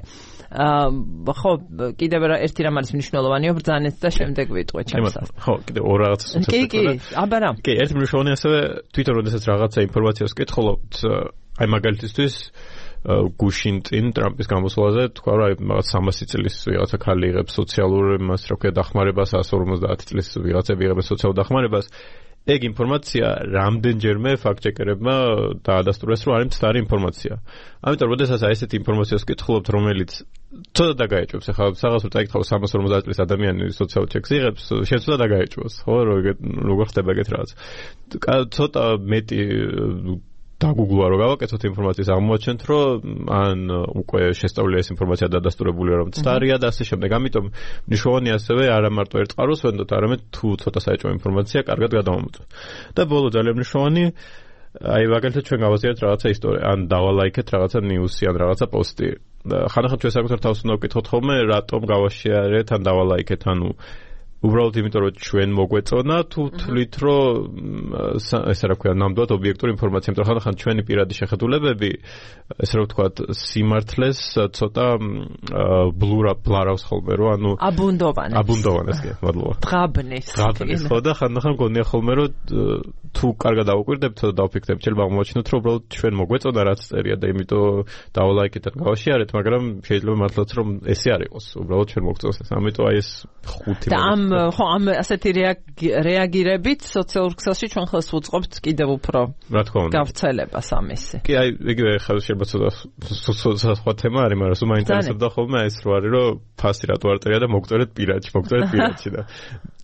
ხო კიდევ ერთი რამ არის მნიშვნელოვანია ბრძანეთ და შემდეგ ვიტყვეთ ჩემსაც ხო კიდევ ორ რაღაცას კი აბა რა კი ერთი მნიშვნელოვანი ასევე თვითონ როდესაც რაღაცა ინფორმაციას ვკითხულობთ აი მაგალითისთვის გუშინ წინ ტრამპის გამოსვლაზე თქვა რომ რაღაც 300 წლის ვიღაცა ქალი იღებს სოციალურ მას რა ქვია დახმარებას 150 წლის ვიღაცები იღებს სოციალურ დახმარებას ეგ ინფორმაცია რამდენჯერმე ფაქტ-ჩეკერებმა დაადასტურეს რომ არის მცდარი ინფორმაცია. ამიტომ როდესაც აი ესეთი ინფორმაციას ვკითხულობთ რომელიც ცოტა დაგაეჭვებს ახლა რაღაც რომ წაიკითხავ 350 წლის ადამიანი სოციალურ ჩეკს იღებს შეცვლა დაგაეჭვოს ხო როგორ ხდება ეგეთ რაღაც ცოტა მეტი დაგუგლვა რომ გავაკეთოთ ინფორმაციის აღმოაჩენთ რომ ან უკვე შესწავლილი ეს ინფორმაცია დადასტურებულია რომ მცდარია და ასე შემდეგ. ამიტომ მნიშვნელოვანია ასევე არა მარტო ერთ წყაროს ვენდოთ, არამედ თუ ცოტა საეჭვო ინფორმაცია კარგად გადავამოწმოთ. და ბოლო ძალიან მნიშვნელოვანი აი მაგალითად ჩვენ გავაზიარეთ რაღაცა ისტორია, ან დავალაიქეთ რაღაცა ნიუსი ან რაღაცა პოსტი. ხანდახან ჩვენ საკუთარ თავს უნდა ვკითხოთ ხოლმე რატომ გავაშიარეთ ან დავალაიქეთ, ანუ უბრალოდ იმიტომ რომ ჩვენ მოგვეწონა თუ თვლით რომ ესე რა ქვია ნამდვილად ობიექტური ინფორმაცია, იმიტომ ხანდახან ჩვენი პირადი შეხედულებები ესე რა ვთქვათ სიმართლეს ცოტა ბლარავს ხოლმე რომ ანუ აბუნდოვანეს კი მადლობა დღაბნის ხო და ხანდახან გონია ხოლმე რომ თუ კარგად დავუკვირდებთ და დავფიქრდებთ შეიძლება აღმოაჩინოთ რომ უბრალოდ ჩვენ მოგვეწონა რაც წერია და იმიტომ დავალაიქეთ და გავაშიარეთ, მაგრამ შეიძლება მართლაც რომ ესე არ იყოს უბრალოდ ჩვენ მოგვწონს ეს. ამიტომ აი ეს ხუთი ხო ამ ასეთი რეაგირებით სოციალურ ქსელში ჩვენ ხელს ვუწყობთ კიდევ უფრო რა თქმა უნდა გავრცელებას ამისი. კი აი იგივე ხელ შეიძლება ცოტა სხვა თემა არის, მაგრამ სულ მაინტერესებდა ხოლმე ეს რო არის რომ ფასი რატო არ წერია და მოგწერეთ პირადში და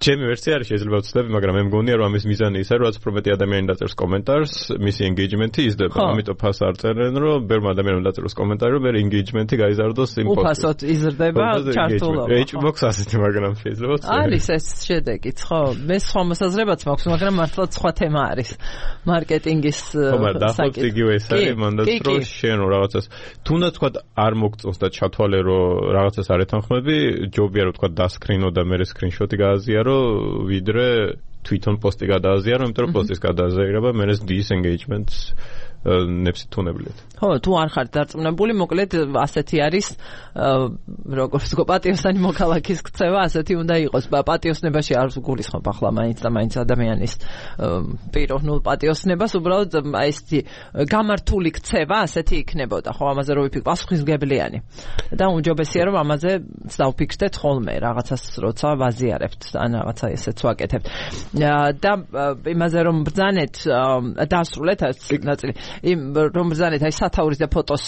ჩემი ვერსია არის შეიძლება ვცდები, მაგრამ მე მგონია რომ ამის მიზანი ისაა რომ რაც უფრო მეტი ადამიანი დაწერს კომენტარს, მისი engagement-ი იზრდება. ამიტომ ფას არ წერენ რომ ბევრ ადამიანმა დაწეროს კომენტარი რომ მე engagement-ი გაიზარდოს იმ პოსტზე. უფასოდ იზრდება ჩართულობა. ეჭვ მოქვს ასეთი, მაგრამ შეიძლება არის ეს შედეგიც, ხო? მე სხვა მოსაზრებაც მაქვს, მაგრამ მართლა სხვა თემა არის. მარკეტინგის საკითხი. იგივე ეს არის, მანდაც რომ შენ რაღაცას თუნდაც თქვა არ მოგწონს და ჩათვალე რომ რაღაცას არ ეთანხმები, ჯობია რომ თქვა დასკრინო და მე სკრინშოტი გააზიარო ვიდრე თვითონ პოსტი გადააზიარო, იმიტომ რომ პოსტის გადააზიარება მე disengagement ნეფსი თუნებლიეთ. ხო, თუ არ ხართ დარწმუნებული, მოკლედ ასეთი არის, როგორც ვთქვა, პატიოსანი მოქალაქის ქცევა, ასეთი უნდა იყოს. პატიოსნებაში არ გულისხმობ ახლა მაინც და მაინც ადამიანის პიროვნულ პატიოსნებას, უბრალოდ აი ესეთი გამართული ქცევა ასეთი იქნებოდა. ხო, ამაზე რო ვიფიქრ, პასუხისმგებლიანი. და უმჯობესია რომ ამაზე დავფიქრდეთ ხოლმე, რაღაცას როცა ვაზიარებთ, ან რაღაცა ესეც ვაკეთებთ. და იმაზე რომ ბრძანეთ, დასრულეთ ეს ნაწილი. რომ ბრძანეთ აი სათაურის და ფოტოს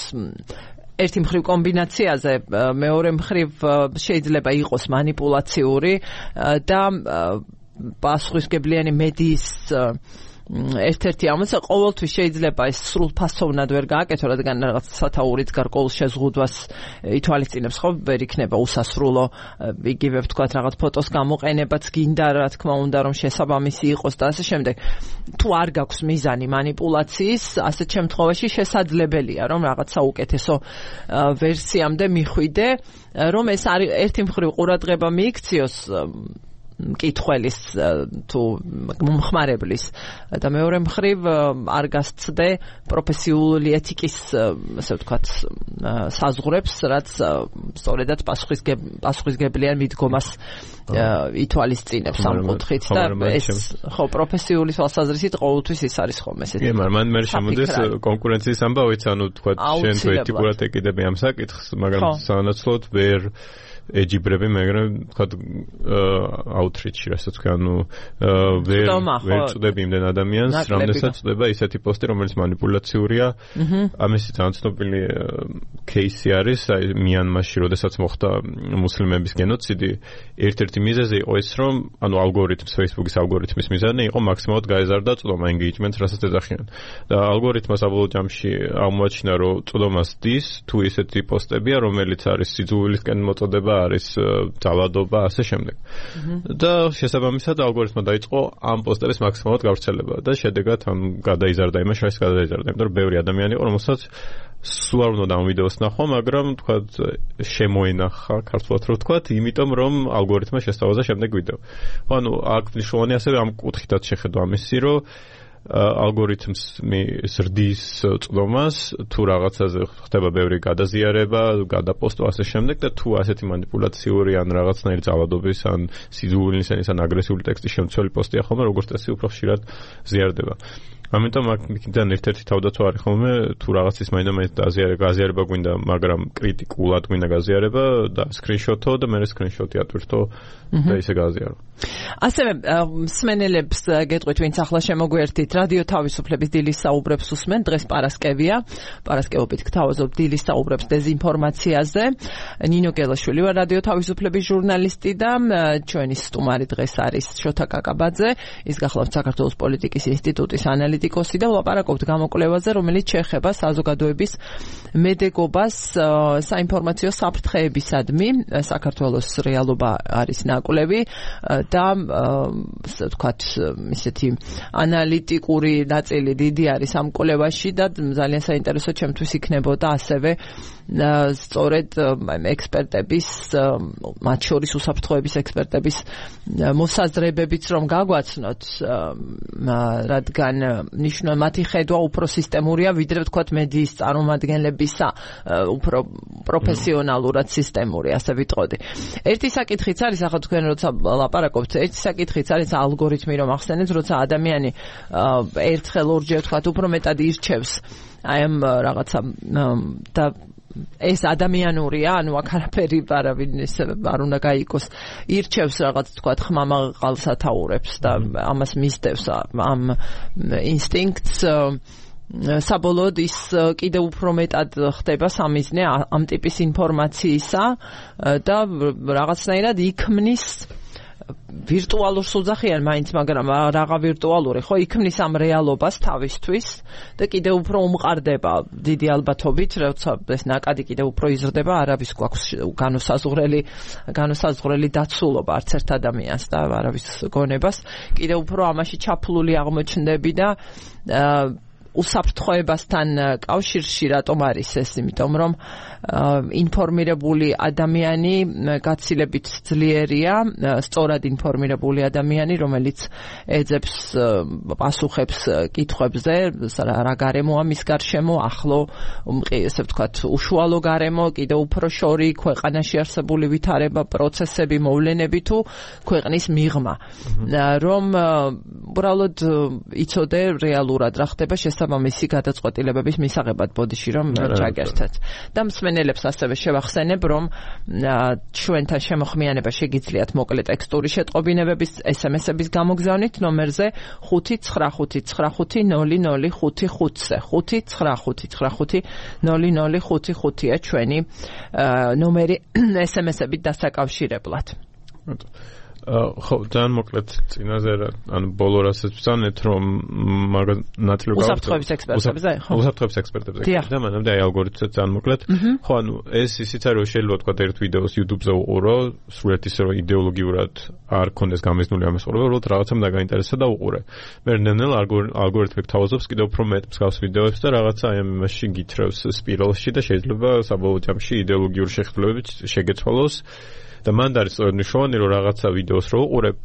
ერთი მხრივ კომბინაციაზე, მეორე მხრივ შეიძლება იყოს манипуляციური და პასუხისმგებლიანი მედიის ერთ-ერთი ამოცა ყოველთვის შეიძლება ეს სრულფასოვნად ვერ გააკეთო, რადგან რაღაც სათაურიც გარკვეულ შეზღუდვას ითვალისწინებს, ხო, ვერ იქნება უსასრულო, იგივე ვთქვათ რაღაც ფოტოს გამოყენებაც გინდა, რა თქმა უნდა, რომ შესაბამისი იყოს და ასე შემდეგ. თუ არ გაქვს მიზანი манипуляციის, ასეთ შემთხვევაში შესაძლებელია, რომ რაღაც საუკეთესო ვერსიამდე მიხვიდე, რომ ეს არის ერთი მხრივ ყურადღება მიიქციოს მკითხველის თუ მომხმარებლის და მეორე მხრივ არ გასცდე პროფესიული ეთიკის, ასე ვთქვათ, საზღვრებს, რაც სწორედად პასუხისმგებლიან მიდგომას ითვალისწინებს ამ კუთხით და ეს ხო პროფესიული თვალსაზრისით ყოველთვის ის არის ხოლმე ესეთი. კი, მაგრამ მე შემოდის კონკურენციის ამბავიც, ანუ თქვათ შენ თუ ეთიკურად ეკიდები ამ საკითხს, მაგრამ სანაცვლოდ ვერ ეჯიბრები, მაგრამ თქვა აუთრიჩი, რასაც თქვა, ანუ ვერ წვდები იმდენ ადამიანს, რამდენსაც წვდება ისეთი პოსტი, რომელიც манипуляციურია. ამისი ძალიან ცნობილი кейსი არის, აი მიანმარში, როდესაც მოხდა მუსლიმების გენოციდი, ერთ-ერთი მიზეზი იყო ის, რომ ანუ ალგორითმს, Facebook-ის ალგორითმის მიზანი იყო მაქსიმალურად გაეზარდა წვდომა, engagement-ს, რასაც ეძახიან. და ალგორითმა საბოლოო ჯამში აღმოაჩინა, რომ წვდომას დის თუ ისეთი პოსტებია, რომელიც არის სიძულვილისკენ მოწოდება, არის ძალადობა, ასე შემდეგ. და შესაბამისად ალგორითმა დაიწყო ამ პოსტების მაქსიმალურად გავრცელება და შედეგად ამ გადაიზარდა იმას, რაც გადაიზარდა, იმიტომ რომ ბევრი ადამიანი იყო, რომელსაც სულ არ უნდა ამ ვიდეოს ნახვა, მაგრამ თქვათ შემოენახა, ქართულად რო ვთქვათ, იმიტომ რომ ალგორითმა შესთავაზა შემდეგ ვიდეო. ანუ აქ მნიშვნელოვანი ასევე ამ კუთხითაც შეხედვა ამისი, რომ ალგორითმს ზრდის წვდომას, თუ რაღაცაზე ხდება ბევრი გადაზიარება, გადაპოსტო ასე შემდეგ და თუ ასეთი манипуляციური ან რაღაცნაირი ძალადობის ან სიძულვილისენის ან აგრესიული ტექსტის შემცველი პოსტია ხოლმე, როგორც წესი უფრო ხშირად ზიარდება. ამიტომ აქედან ერთ-ერთი თავდაცვა არის ხოლმე, თუ რაღაცის მაინდა-მაინც გაზიარება გვინდა, მაგრამ კრიტიკულად გვინდა გაზიარება და სკრინშოტო და მე სკრინშოტი ატვირთო და ისე გააზიარო. ასევე მსმენელებს გეტყვით, ვინც ახლა შემოგვერთით, რადიო თავისუფლების დილის საუბრებს უსმენ, დღეს პარასკევია, პარასკევობით გთავაზობ დილის საუბრებს დეზინფორმაციაზე. ნინო გელაშვილი ვარ, რადიო თავისუფლების ჟურნალისტი და ჩვენი სტუმარი დღეს არის შოთა კაკაბაძე, ის გახლავთ საქართველოს პოლიტიკის ინსტიტუტის ანალიტიკოსი და ვლაპარაკობთ გამოკვლევაზე, რომელიც შეეხება საზოგადოების მედეგობას საინფორმაციო საფრთხეებისადმი. საქართველოს რეალობა არის ნაკვლევი და ასე ვთქვათ, ისეთი ანალიტიკური ნაწილი დიდი არის ამ კვლევაში და ძალიან საინტერესო ჩემთვის იქნებოდა ასევე სწორედ ექსპერტების, მათ შორის უსაფრთხოების ექსპერტების მოსაზრებებიც რომ გაგვაცნოთ, რადგან ნიშნავს მათი ხედვა უფრო სისტემურია, ვიდრე ვთქვათ მედიის წარმომადგენლებისა, უფრო პროფესიონალურად სისტემური, ასე ვიტყოდი. ერთი საკითხიც არის, ახლა თქვენ როცა ლაპარაკობთ, ერთი საკითხიც არის ალგორითმი, რომ ახსენეთ, როცა ადამიანი ერთხელ ორჯერ ვთქვათ უფრო მეტად ირჩევს აი ამ რაღაცა და ეს ადამიანურია, ანუ აქ არაფერი არავინ ისე არ უნდა გაიგოს. ირჩევს რაღაც თქვათ ხმამაღალ სათაურებს და ამას მისდევს ამ ინსტინქტს. საბოლოოდ ის კიდევ უფრო მეტად ხდება სამიზნე ამ ტიპის ინფორმაციისა და რაღაცნაირად იქმნის ვირტუალურ სუძახიან მაინც, მაგრამ რაღა ვირტუალური, ხო, იქმნის ამ რეალობას თავისთვის და კიდევ უფრო უმყარდება დიდი ალბათობით, როცა ეს ნაკადი კიდევ უფრო იზრდება, არავის გვაქვს განუსაზღვრელი დაცულობა არც ერთ ადამიანს და არავის გონებას, კიდევ უფრო ამაში ჩაფლული აღმოჩნდები და უსაფრთხოებასთან კავშირში რატომ არის ეს? იმიტომ რომ ინფორმირებული ადამიანი გაცილებით ძლიერია, სწორად ინფორმირებული ადამიანი, რომელიც ეძებს პასუხებს კითხვებზე, რა გარემოა მის გარშემო, ახლო, ესე ვთქვათ, უშუალო გარემო, კიდევ უფრო შორი, ქვეყანაში არსებული ვითარება, პროცესები, მოვლენები თუ ქვეყნის მიღმა. რომ უბრალოდ იცოდე რეალურად რა ხდება, შესაბამისი გადაწყვეტილებების მისაღებად ბოდიში რომ ჩაგერთეთ. და მსმენელებს ასევე შევახსენებ, რომ ჩვენთან შემოხმიანება შეგიძლიათ მოკლე ტექსტური შეტყობინებების SMS-ების გამოგზავნით ნომერზე 595900555-ზე 595900555-ია ჩვენი ნომერი SMS-ებით დასაკავშირებლად. ხო, ძალიან მოკლედ წინაზე ანუ ბოლო რასაც ვწანეთ, რომ მაგ ნაწილი უსაფრთხოების ექსპერტებზე, ხო? უსაფრთხოების ექსპერტებზე. და მანამდე აი ალგორითმსაც ძალიან მოკლედ. ხო, ანუ ეს ისიც არის, რომ შეიძლება თქვა ერთ ვიდეოს YouTube-ზე უყურო, სრულიად ისე რომ იდეოლოგიურად არ ქონდეს გამიზნული ამის ყურება, უბრალოდ რაღაცამ დაგაინტერესა და უყურე. მე ნელ ალგორითმი გთავაზობს კიდევ უფრო მეტ მსგავს ვიდეოებს და რაღაცა აი ამაში გითხრევს სპირალში და შეიძლება საბოლოო ჯამში იდეოლოგიური შეხებლებებით შეგეცვალოს. და მანდ არის სწორედ მნიშვნელოვანი, რომ რაღაცა ვიდეოს რო უყურებ,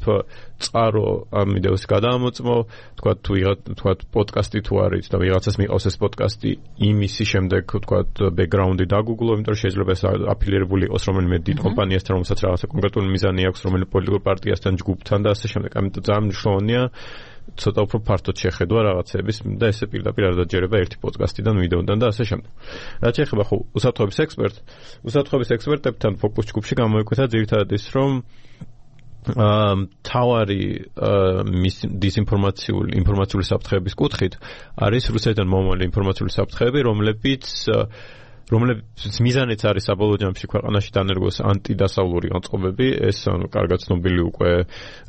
წყარო ამ ვიდეოს გადაამოწმო, თქვა პოდკასტი თუ არის და ვიღაცას მიყავს ეს პოდკასტი, იმისი შემდეგ თქვა ბექგრაუნდი დაგუგლო, იმიტომ რომ შეიძლება ეს აფილირებული იყოს რომელიმე დიდ კომპანიასთან, რომელსაც რაღაცა კონკრეტული მიზანი აქვს, რომელიმე პოლიტიკურ პარტიასთან, ჯგუფთან და ასე შემდეგ. ამიტომ ძალიან მნიშვნელოვანია ცოტა უფრო ფართოდ შეხედვა რაღაცების და ესე პირდაპირ არ დაჯერება ერთი პოდკასტიდან, ვიდეოდან და ასე შემდეგ. რაც შეეხება ხო უსაფრთხოების ექსპერტებთან ფოკუს ჯგუფში გამოიკვეთა ძირითადად ის, რომ თავარი ინფორმაციული საფრთხეების კუთხით არის რუსეთიდან მომავალი ინფორმაციული საფრთხეები, რომლებიც მიზანიც არის საბოლოო ჯამში ქვეყანაში დანერგოს ანტიდასავლური განწყობები. ეს კარგად ცნობილი უკვე,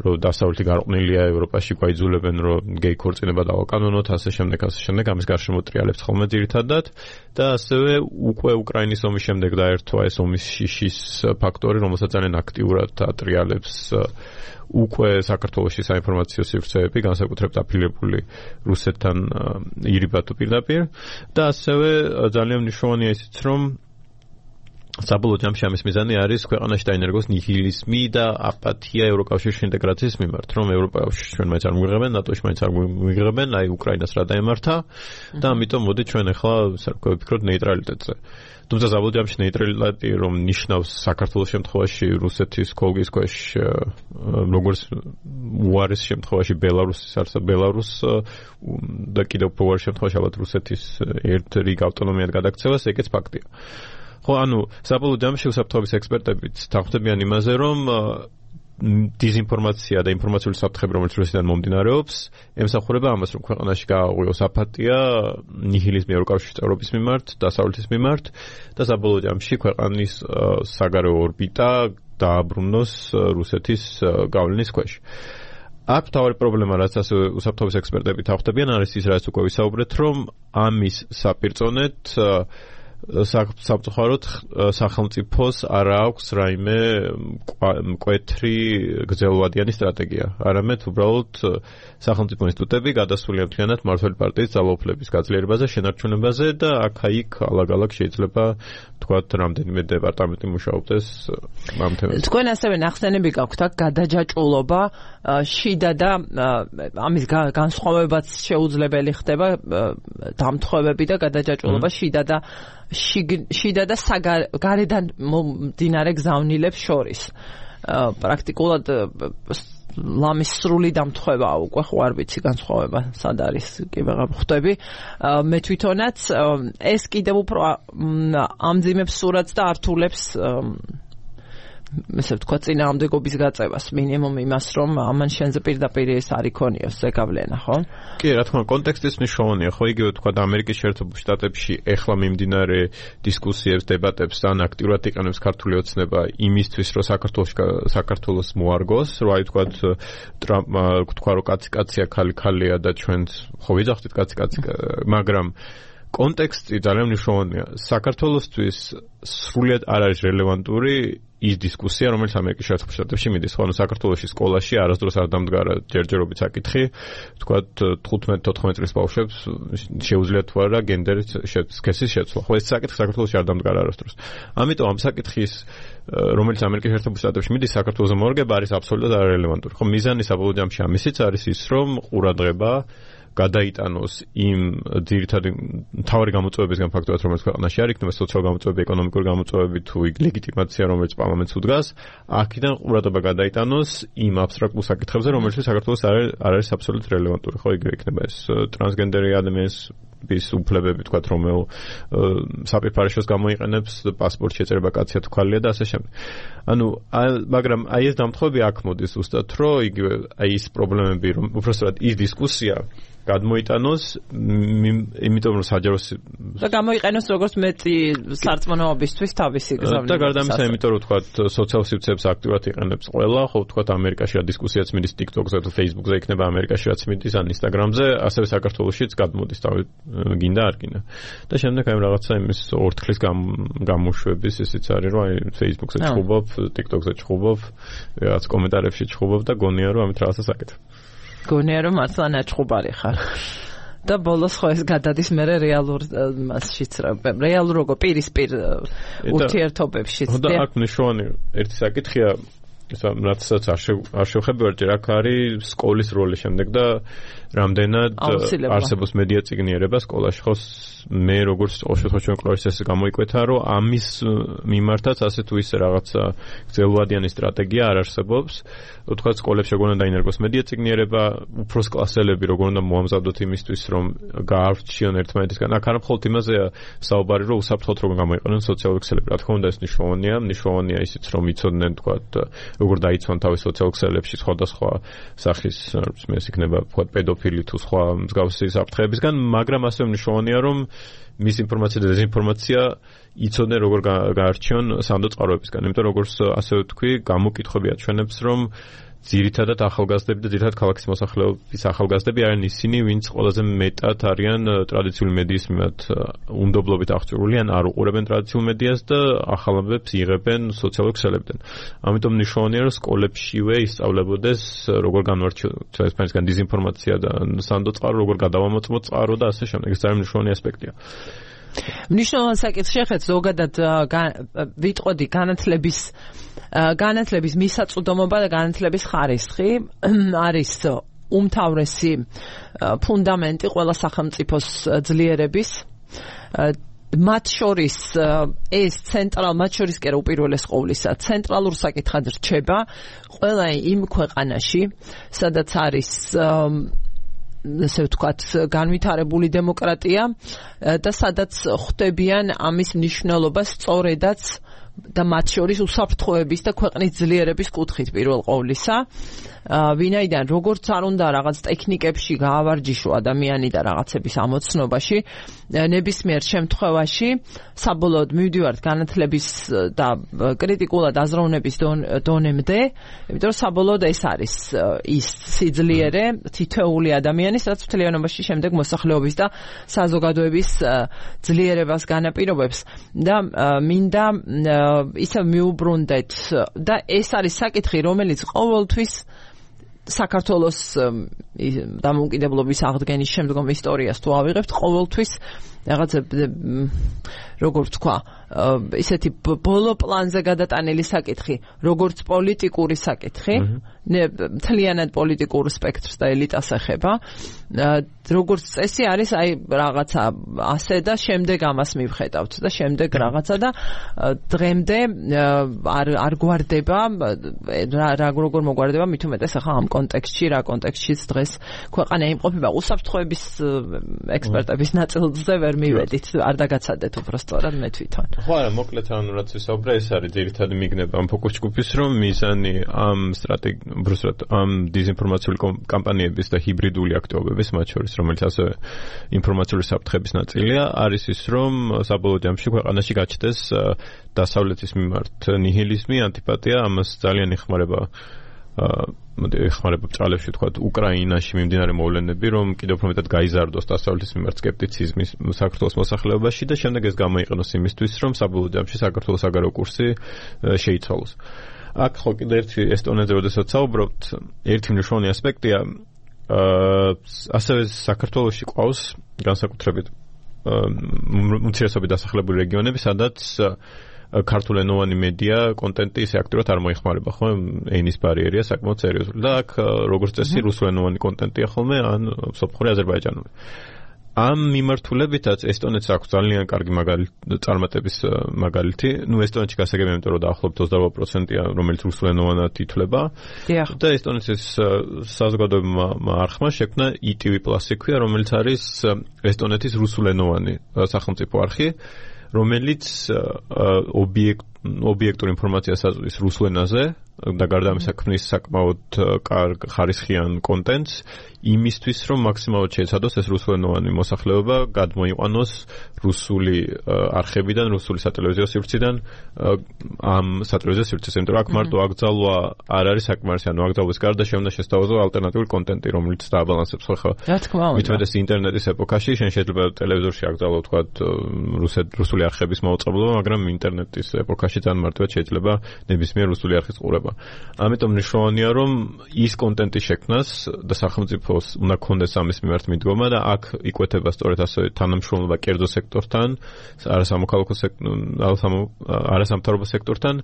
რომ დასავლეთი გარყვნილია ევროპაში, გვაიძულებენ, რომ გეი ქორწინება დავაკანონოთ, ასე შემდეგ. ამის გარშემო ტრიალებთ ხოლმე ძირითადად და ასევე უკვე უკრაინის ომის შემდეგ დაერთვა ეს ომის შიშის ფაქტორი, რომელსაც ძალიან აქტიურად ატრიალებს უკვე საქართველოში საინფორმაციო სივრცეები, განსაკუთრებით აფილირებული რუსეთთან ირიბათო პირდაპირ და ასევე ძალიან მნიშვნელოვანია ისიც, რომ საბოლოო ჯამში ამის მიზანი არის ქვეყანაში დაინერგოს ნიჰილიზმი და აპათია ევროკავშირში ინტეგრაციის მიმართ, რომ ევროპაში ჩვენ მაინც არ მიიღებენ, ნატოში მაინც არ მიიღებენ, აი უკრაინას რა დაემართა და ამიტომ მოდი ჩვენ ახლა ვფიქროთ ნეიტრალიტეტზე. თუმცა საბოლოო ჯამში ნეიტრალიტეტი რომ ნიშნავს საქართველოს შემთხვევაში რუსეთის კოლგის ქვეშ, როგორც უარის შემთხვევაში ბელარუს და კიდევ უფრო უარის შემთხვევაში ალბათ რუსეთის ერთ რიგ ავტონომიად გადაქცევას, ეგეც ფაქტია. ხო, ანუ საბოლოო ჯამში უსაფრთხოების ექსპერტებიც თანხმდებიან იმაზე, რომ დიზინფორმაცია და ინფორმაციული საფრთხები, რომელიც რუსეთიდან მომდინარეობს, ემსახურება ამას, რომ ქვეყანაში გააღვიოს აპათია, ნიჰილიზმი ევროკავშირის წევრობის მიმართ, დასავლეთის მიმართ და საბოლოო ჯამში ქვეყანის საგარეო ორბიტა დააბრუნოს რუსეთის გავლენის ქვეშ. აქ თავი პრობლემა, რაც ასე უსაფრთხოების ექსპერტები თანხმდებიან, არის ის, რაც უკვე ვისაუბრეთ, რომ ამის საპირწონედ სამწუხაროდ სახელმწიფოს არ აქვს რაიმე მკვეთრი გრძელვადიანი სტრატეგია. არამედ უბრალოდ სახელმწიფო ინსტიტუტები გადასულია მთლიანად მმართველი პარტიის ძალაუფლების გაძლიერებაზე, შენარჩუნებაზე და აქა-იქ ალაგ-ალაგ შეიძლება თქვათ რამდენიმე დეპარტამენტი მუშაობდეს ამ თემაზე. თქვენ ასევე ნახსენები გაქვთ აქ გადაჯაჭვულობა შიდა და ამის განსხვავებაც შეუძლებელი ხდება დამთხოვები და გადაჯაჭვულობა შიდა და გარედან მომდინარე გზავნილებს შორის. პრაქტიკულად ლამის სრული დამთხოვებაა უკვე, ხო არ ვიცი განსხვავება სად არის, კი ვეღარ ხვდები. მე თვითონაც ეს კიდევ უფრო ამძიმებს სურათს და ართულებს ესე ვთქვა წინააღმდეგობის გაწევას, მინიმუმ იმას, რომ ამან შენზე პირდაპირ ეს არ იქონიოს ზეგავლენა, ხო? კი, რა თქმა უნდა, კონტექსტის მნიშვნელოვანია, ხო, იგივე თქვა ამერიკის შეერთებულ შტატებში ეხლა მიმდინარე დისკუსიებს, დებატებს ძალიან აქტიურად იყენებს ქართული ოცნება იმისთვის, რომ საქართველოს მოარგოს, რომ აი თქვა რომ კაცი-კაცია, ხალი-ხალია და ჩვენც ხო ვიძახდით კაცი-კაცი, მაგრამ კონტექსტი ძალიან მნიშვნელოვანია. საქართველოსთვის სრულიად არ არის რელევანტური ის დისკუსია, რომელიც ამერიკის შეერთებულ შტატებში მიდის. ხო, ანუ საქართველოში სკოლაში არასდროს არ დამდგარა ჯერჯერობით საკითხი, თქვათ 15-14 წლის ბავშვებს შეუძლიათ თუ არა გენდერის სქესის შეცვლა. ხო, ეს საკითხი საქართველოში არ დამდგარა არასდროს. ამიტომ ამ საკითხის, რომელიც ამერიკის შეერთებულ შტატებში მიდის, საქართველოს მორგება არის აბსოლუტურად არარელევანტური. ხო, მიზანი საბოლოო ჯამში ამისიც არის ის, რომ ყურადღება გადაიტანოს იმ ძირითადი მთავარი გამოწვევებისგან ფაქტობრივად, რომელიც ქვეყანაში არ იქნება, სოციალური გამოწვევები, ეკონომიკური გამოწვევები თუ ლეგიტიმაცია, რომელიც პარლამენტს უდგას, აქედან ყურადღება გადაიტანოს იმ აბსტრაქტულ საკითხებზე, რომელშიც საქართველოს არ არის აბსოლუტურად რელევანტური, ხო, იგივე იქნება ეს ტრანსგენდერი ადამიანის უფლებები, თქვათ, რომელ საპირფარეშოს გამოიყენებს, პასპორტ შეწერება კაცია თუ ქალია და ასე შემდეგ. ანუ, მაგრამ აი ეს დამთხევები აქ მოდის ზუსტად, რომ იგივე აი ის პრობლემები, რომ უბრალოდ ის დისკუსია გადმოიტანოს, იმიტომ რომ საჯარო და გამოიყენოს როგორც მეტი სარწმუნოებისთვის თავისი გზავნილი. და გარდა ამისა, იმიტომ რომ თქვათ, სოციალურ სივრცეებს აქტიურად იყენებს ყველა, ხო, თქვათ, ამერიკაში რა დისკუსიაც მიდის TikTok-ზე თუ Facebook-ზე იქნება, ამერიკაში რაც მიდის ან Instagram-ზე, ასევე საქართველოშიც გადმოდის, გინდა არ გინდა. და შემდეგ აი რაღაცა იმის ორთქლის გამოშვების ისიც არის, რომ აი Facebook-ზე ჩხუბობ, TikTok-ზე ჩხუბობ, რაღაც კომენტარებში ჩხუბობ და გონია რომ ამით რაღაცა საკეთებ. გონია რომ მართლა ნაჩხუბარი ხარ. და ბოლოს ხო ეს გადადის მე რეალურ მასშიც რეალურ როგორ პირისპირ ურთიერთობებშიც. და აქ მნიშვნელოვანი ერთი საკითხია, რაცაც არ შევხედავ ჯერ აქ არის სკოლის როლი შემდეგ და რამდენად არსებობს მედია წიგნიერება სკოლაში, ხო, მე როგორც ოშოთოჩენ კლასის გამოიკვეთა, რომ ამის მიმართაც ასე თუ ისე რაღაცა გრძელვადიანი სტრატეგია არ არსებობს. თქვა სკოლებში როგორ უნდა დაინერგოს მედია წიგნიერება, უფროს კლასელები როგორ უნდა მოამზადოთ იმისთვის, რომ გაარჩიონ ერთმანეთისგან. აქ არ მხოლოდ იმაზეა საუბარი, რომ უსაფრთხოდ როგორ გამოიყენონ სოციალური ქსელები. რა თქმა უნდა, ეს მნიშვნელოვანია ისიც, რომ იცოდნენ, თქვა, როგორ დაიცვან თავის სოციალურ ქსელებში სხვადასხვა სახის, ეს იქნება, თქვა, პედოფილი თუ სხვა მსგავსი საფრთხეებისგან, მაგრამ ასევე მნიშვნელოვანია, რომ მისინფორმაცია და დეзინფორმაცია იცოდნენ როგორ გაარჩიონ სანდო წყაროებისგან. იმიტომ როგორც ასე ვთქვი, გამოკითხვები აჩვენებს, რომ ძირითადად ახალგაზრდები და ძირითადად ქალაქის მოსახლეობის ახალგაზრდები არიან ისინი, ვინც ყველაზე მეტად არიან ტრადიციული მედიის მიმართ უნდობლობით აღჭურვილი, ან არ უყურებენ ტრადიციულ მედიას და ახალამბებს იღებენ სოციალურ ქსელებიდან. ამიტომ მნიშვნელოვანია, რომ სკოლებშივე ისწავლებოდეს როგორ განვარჩიოთ ესპანეთისგან დეзინფორმაცია და სანდო წყარო, როგორ გადავამოწმოთ წყარო და ასე შემდეგ. ეს ძალიან მნიშვნელოვანი ასპექტია. მნიშვნელოვანი საკითხი შეხეთ ზოგადად ვიტყოდი განათლების მისაწვდომობა და განათლების ხარისხი არის უმთავრესი ფუნდამენტი ყველა სახელმწიფოს ძლიერების. მათ შორის ეს მათ შორის კი უპირველეს ყოვლისა ცენტრალურ საკითხად რჩება ყველა იმ ქვეყანაში, სადაც არის ესე ვთქვათ, განვითარებული დემოკრატია და სადაც ხვდებიან ამის მნიშვნელობას სწორედაც და მათ შორის უსაფრთხოების და ქვეყნის ძლიერების კუთხით პირველ ყოვლისა. ვინაიდან როგორც არ უნდა რაღაც ტექნიკებში გაავარჯიშო ადამიანი და რაღაცების ამოცნობაში, ნებისმიერ შემთხვევაში საბოლოოდ მივდივართ განათლების და კრიტიკულად აზროვნების დონემდე, იმიტომ რომ საბოლოოდ ეს არის ის სიძლიერე თითოეული ადამიანის, რაც მთლიანობაში შემდეგ მოსახლეობის და საზოგადოების ძლიერებას განაპირობებს და მინდა ისევ მიუბრუნდეთ და ეს არის საკითხი, რომელიც ყოველთვის საქართველოს დამოუკიდებლობის აღდგენის შემდგომ ისტორიას თუ ავიღებთ, ყოველთვის რაღაცა როგორ ვთქვა, ისეთი ბოლო პლანზე გადატანილი საკითხი, როგორც პოლიტიკური საკითხი, მთლიანად პოლიტიკურ სპექტრს და ელიტას ეხება, როგორც წესი არის აი რაღაცა ასე და შემდეგ ამას მივხედავთ და შემდეგ რაღაცა და დღემდე არ გვარდება როგორ მოგვარდება მით უმეტეს ახლა ამ კონტექსტში, რა კონტექსტშიც დღეს ქვეყანა იმყოფება უსაფრთხოების ექსპერტების ნაწილზე ვერ მივედით, არ დაგაცადეთ უბრალოდ მე თვითონ. ხო, არა, მოკლედ ანუ რაც ვისაუბრე, ეს არის ძირითადი მიგნება ამ ფოკუს ჯგუფის, რომ მიზანი ამ ამ დეзინფორმაციული კამპანიების და ჰიბრიდული აქტივობების, მათ შორის რომელიც ასევე ინფორმაციული საფრთხების ნაწილია, არის ის, რომ საბოლოო ჯამში ქვეყანაში გაჩნდეს დასავლეთის მიმართ ნიჰილიზმი, ანტიპათია, ამას ძალიან ეხმარება ბრალებში თქვა უკრაინაში მიმდინარე მოვლენები, რომ კიდევ უფრო მეტად გაიზარდოს დასავლეთის მიმართ სკეპტიციზმი საქართველოს მოსახლეობაში და შემდეგ ეს გამოიყენოს იმისთვის, რომ საბოლოო ჯამში საქართველოს საგარეო კურსი შეიცვალოს. აქ ხო კიდევ ერთი ესტონეთზე როდესაც საუბრობთ, ერთი მნიშვნელოვანი ასპექტია, ასევე საქართველოში ყავს განსაკუთრებით უმცირესობითი დასახლებული რეგიონები, სადაც ქართულენოვანი მედია კონტენტი ისე აქტიურად არ მოიხმარება, ხო? ენის ბარიერია საკმაოდ სერიოზული. და აქ როგორც წესი რუსულენოვანი კონტენტია ხოლმე, ან სომხური, აზერბაიჯანული. ამ მიმართულებითაც ესტონეთს აქვს ძალიან კარგი წარმატების მაგალითი. ესტონეთში გასაგებია, იმიტომ რომ დაახლოებით 28%-ია, რომელიც რუსულენოვანად ითვლება. და ესტონეთის საზოგადოებრივმა არხმა შექმნა ETV+ ქვია, რომელიც არის ესტონეთის რუსულენოვანი სახელმწიფო არხი, რომელიც ობიექტურ ინფორმაციას აწვდის რუსულ ენაზე და გარდა ამისა ქმნის საკმაოდ კარგ ხარისხიან კონტენტს იმისთვის, რომ მაქსიმალურად შეეცადოს ეს რუსულენოვანი მოსახლეობა გადმოიყვანოს რუსული არხებიდან, რუსული სატელევიზიო სივრციდან ამ სატელევიზიო სივრცეს, იმიტომ რომ აქ მარტო აკრძალვა არ არის საკმარისი, ანუ აკრძალვის გარდა შეუნდა შესთავაზო ალტერნატიული კონტენტი, რომელიც დააბალანსებს ხო. რა თქმა უნდა. მithumetes ინტერნეტის ეპოქაში შენ შეიძლება ტელევიზორში აკრძალო თქვა რუსული არხების მაუწყებლობა, მაგრამ ინტერნეტის ეპოქაში ძალიან მარტივად შეიძლება ნებისმიერ რუსული არხის ყურება. ამიტომ მნიშვნელოვანია, რომ ის კონტენტი შექმნას და სახელმწიფოს უნდა ქონდეს ამის მიმართ მიდგომა და აქ იკვეთება სწორედ ასე თანამშრომლობა კერძო სექტორთან, არასამოქალაქო არასამთავრობო სექტორთან,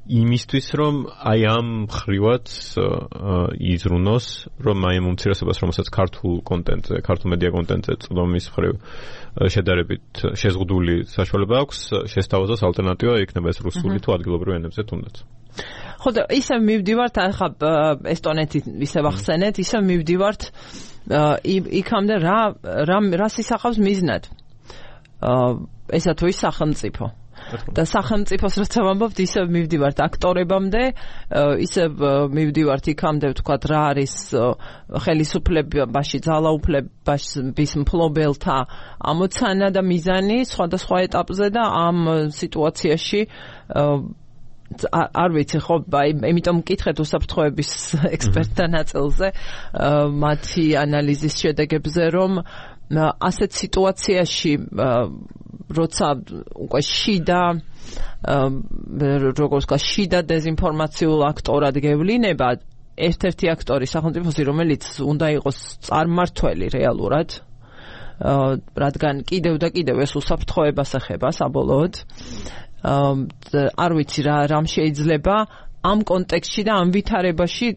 იმისთვის, რომ აი ამ ხრივად იზრუნოს, რომ აი ამ უმცირესობას, რომელსაც ქართულ კონტენტზე, ქართულ მედია კონტენტზე წვდომის მხრივ შედარებით შეზღუდული საშუალება აქვს, შესთავაზოს ალტერნატივა, იქნება ეს რუსული თუ ადგილობრივ ენებზე თუნდაც. ხო და ისე მივდივართ, ახლა ესტონეთი ისე ვახსენეთ, ისე მივდივართ იქამდე რას ისახავს მიზნად. ესა თუ ის სახელმწიფო. და სახელმწიფოს რაც ვამბობთ, ისე მივდივართ აქტორებამდე, ისე მივდივართ იქამდე, ვთქვათ, რა არის ხელისუფლებაში, ძალაუფლების მფლობელთა ამოცანა და მიზანი სხვადასხვა ეტაპზე და ამ სიტუაციაში არ ვიცი ხო, იმიტომ მკითხეთ უსაფრთხოების ექსპერტთა ნაწილზე მათი ანალიზის შედეგებზე, რომ ასეთ სიტუაციაში როცა უკვე შიდა დეზინფორმაციულ აქტორად გევლინება, ერთ-ერთი აქტორი სახელმწიფოსი, რომელიც უნდა იყოს წარმმართველი რეალურად, რადგან კიდევ და კიდევ ეს უსაფრთხოებას ეხება საბოლოოდ. არ ვიცი რამ შეიძლება ამ კონტექსტში და ამ ვითარებაში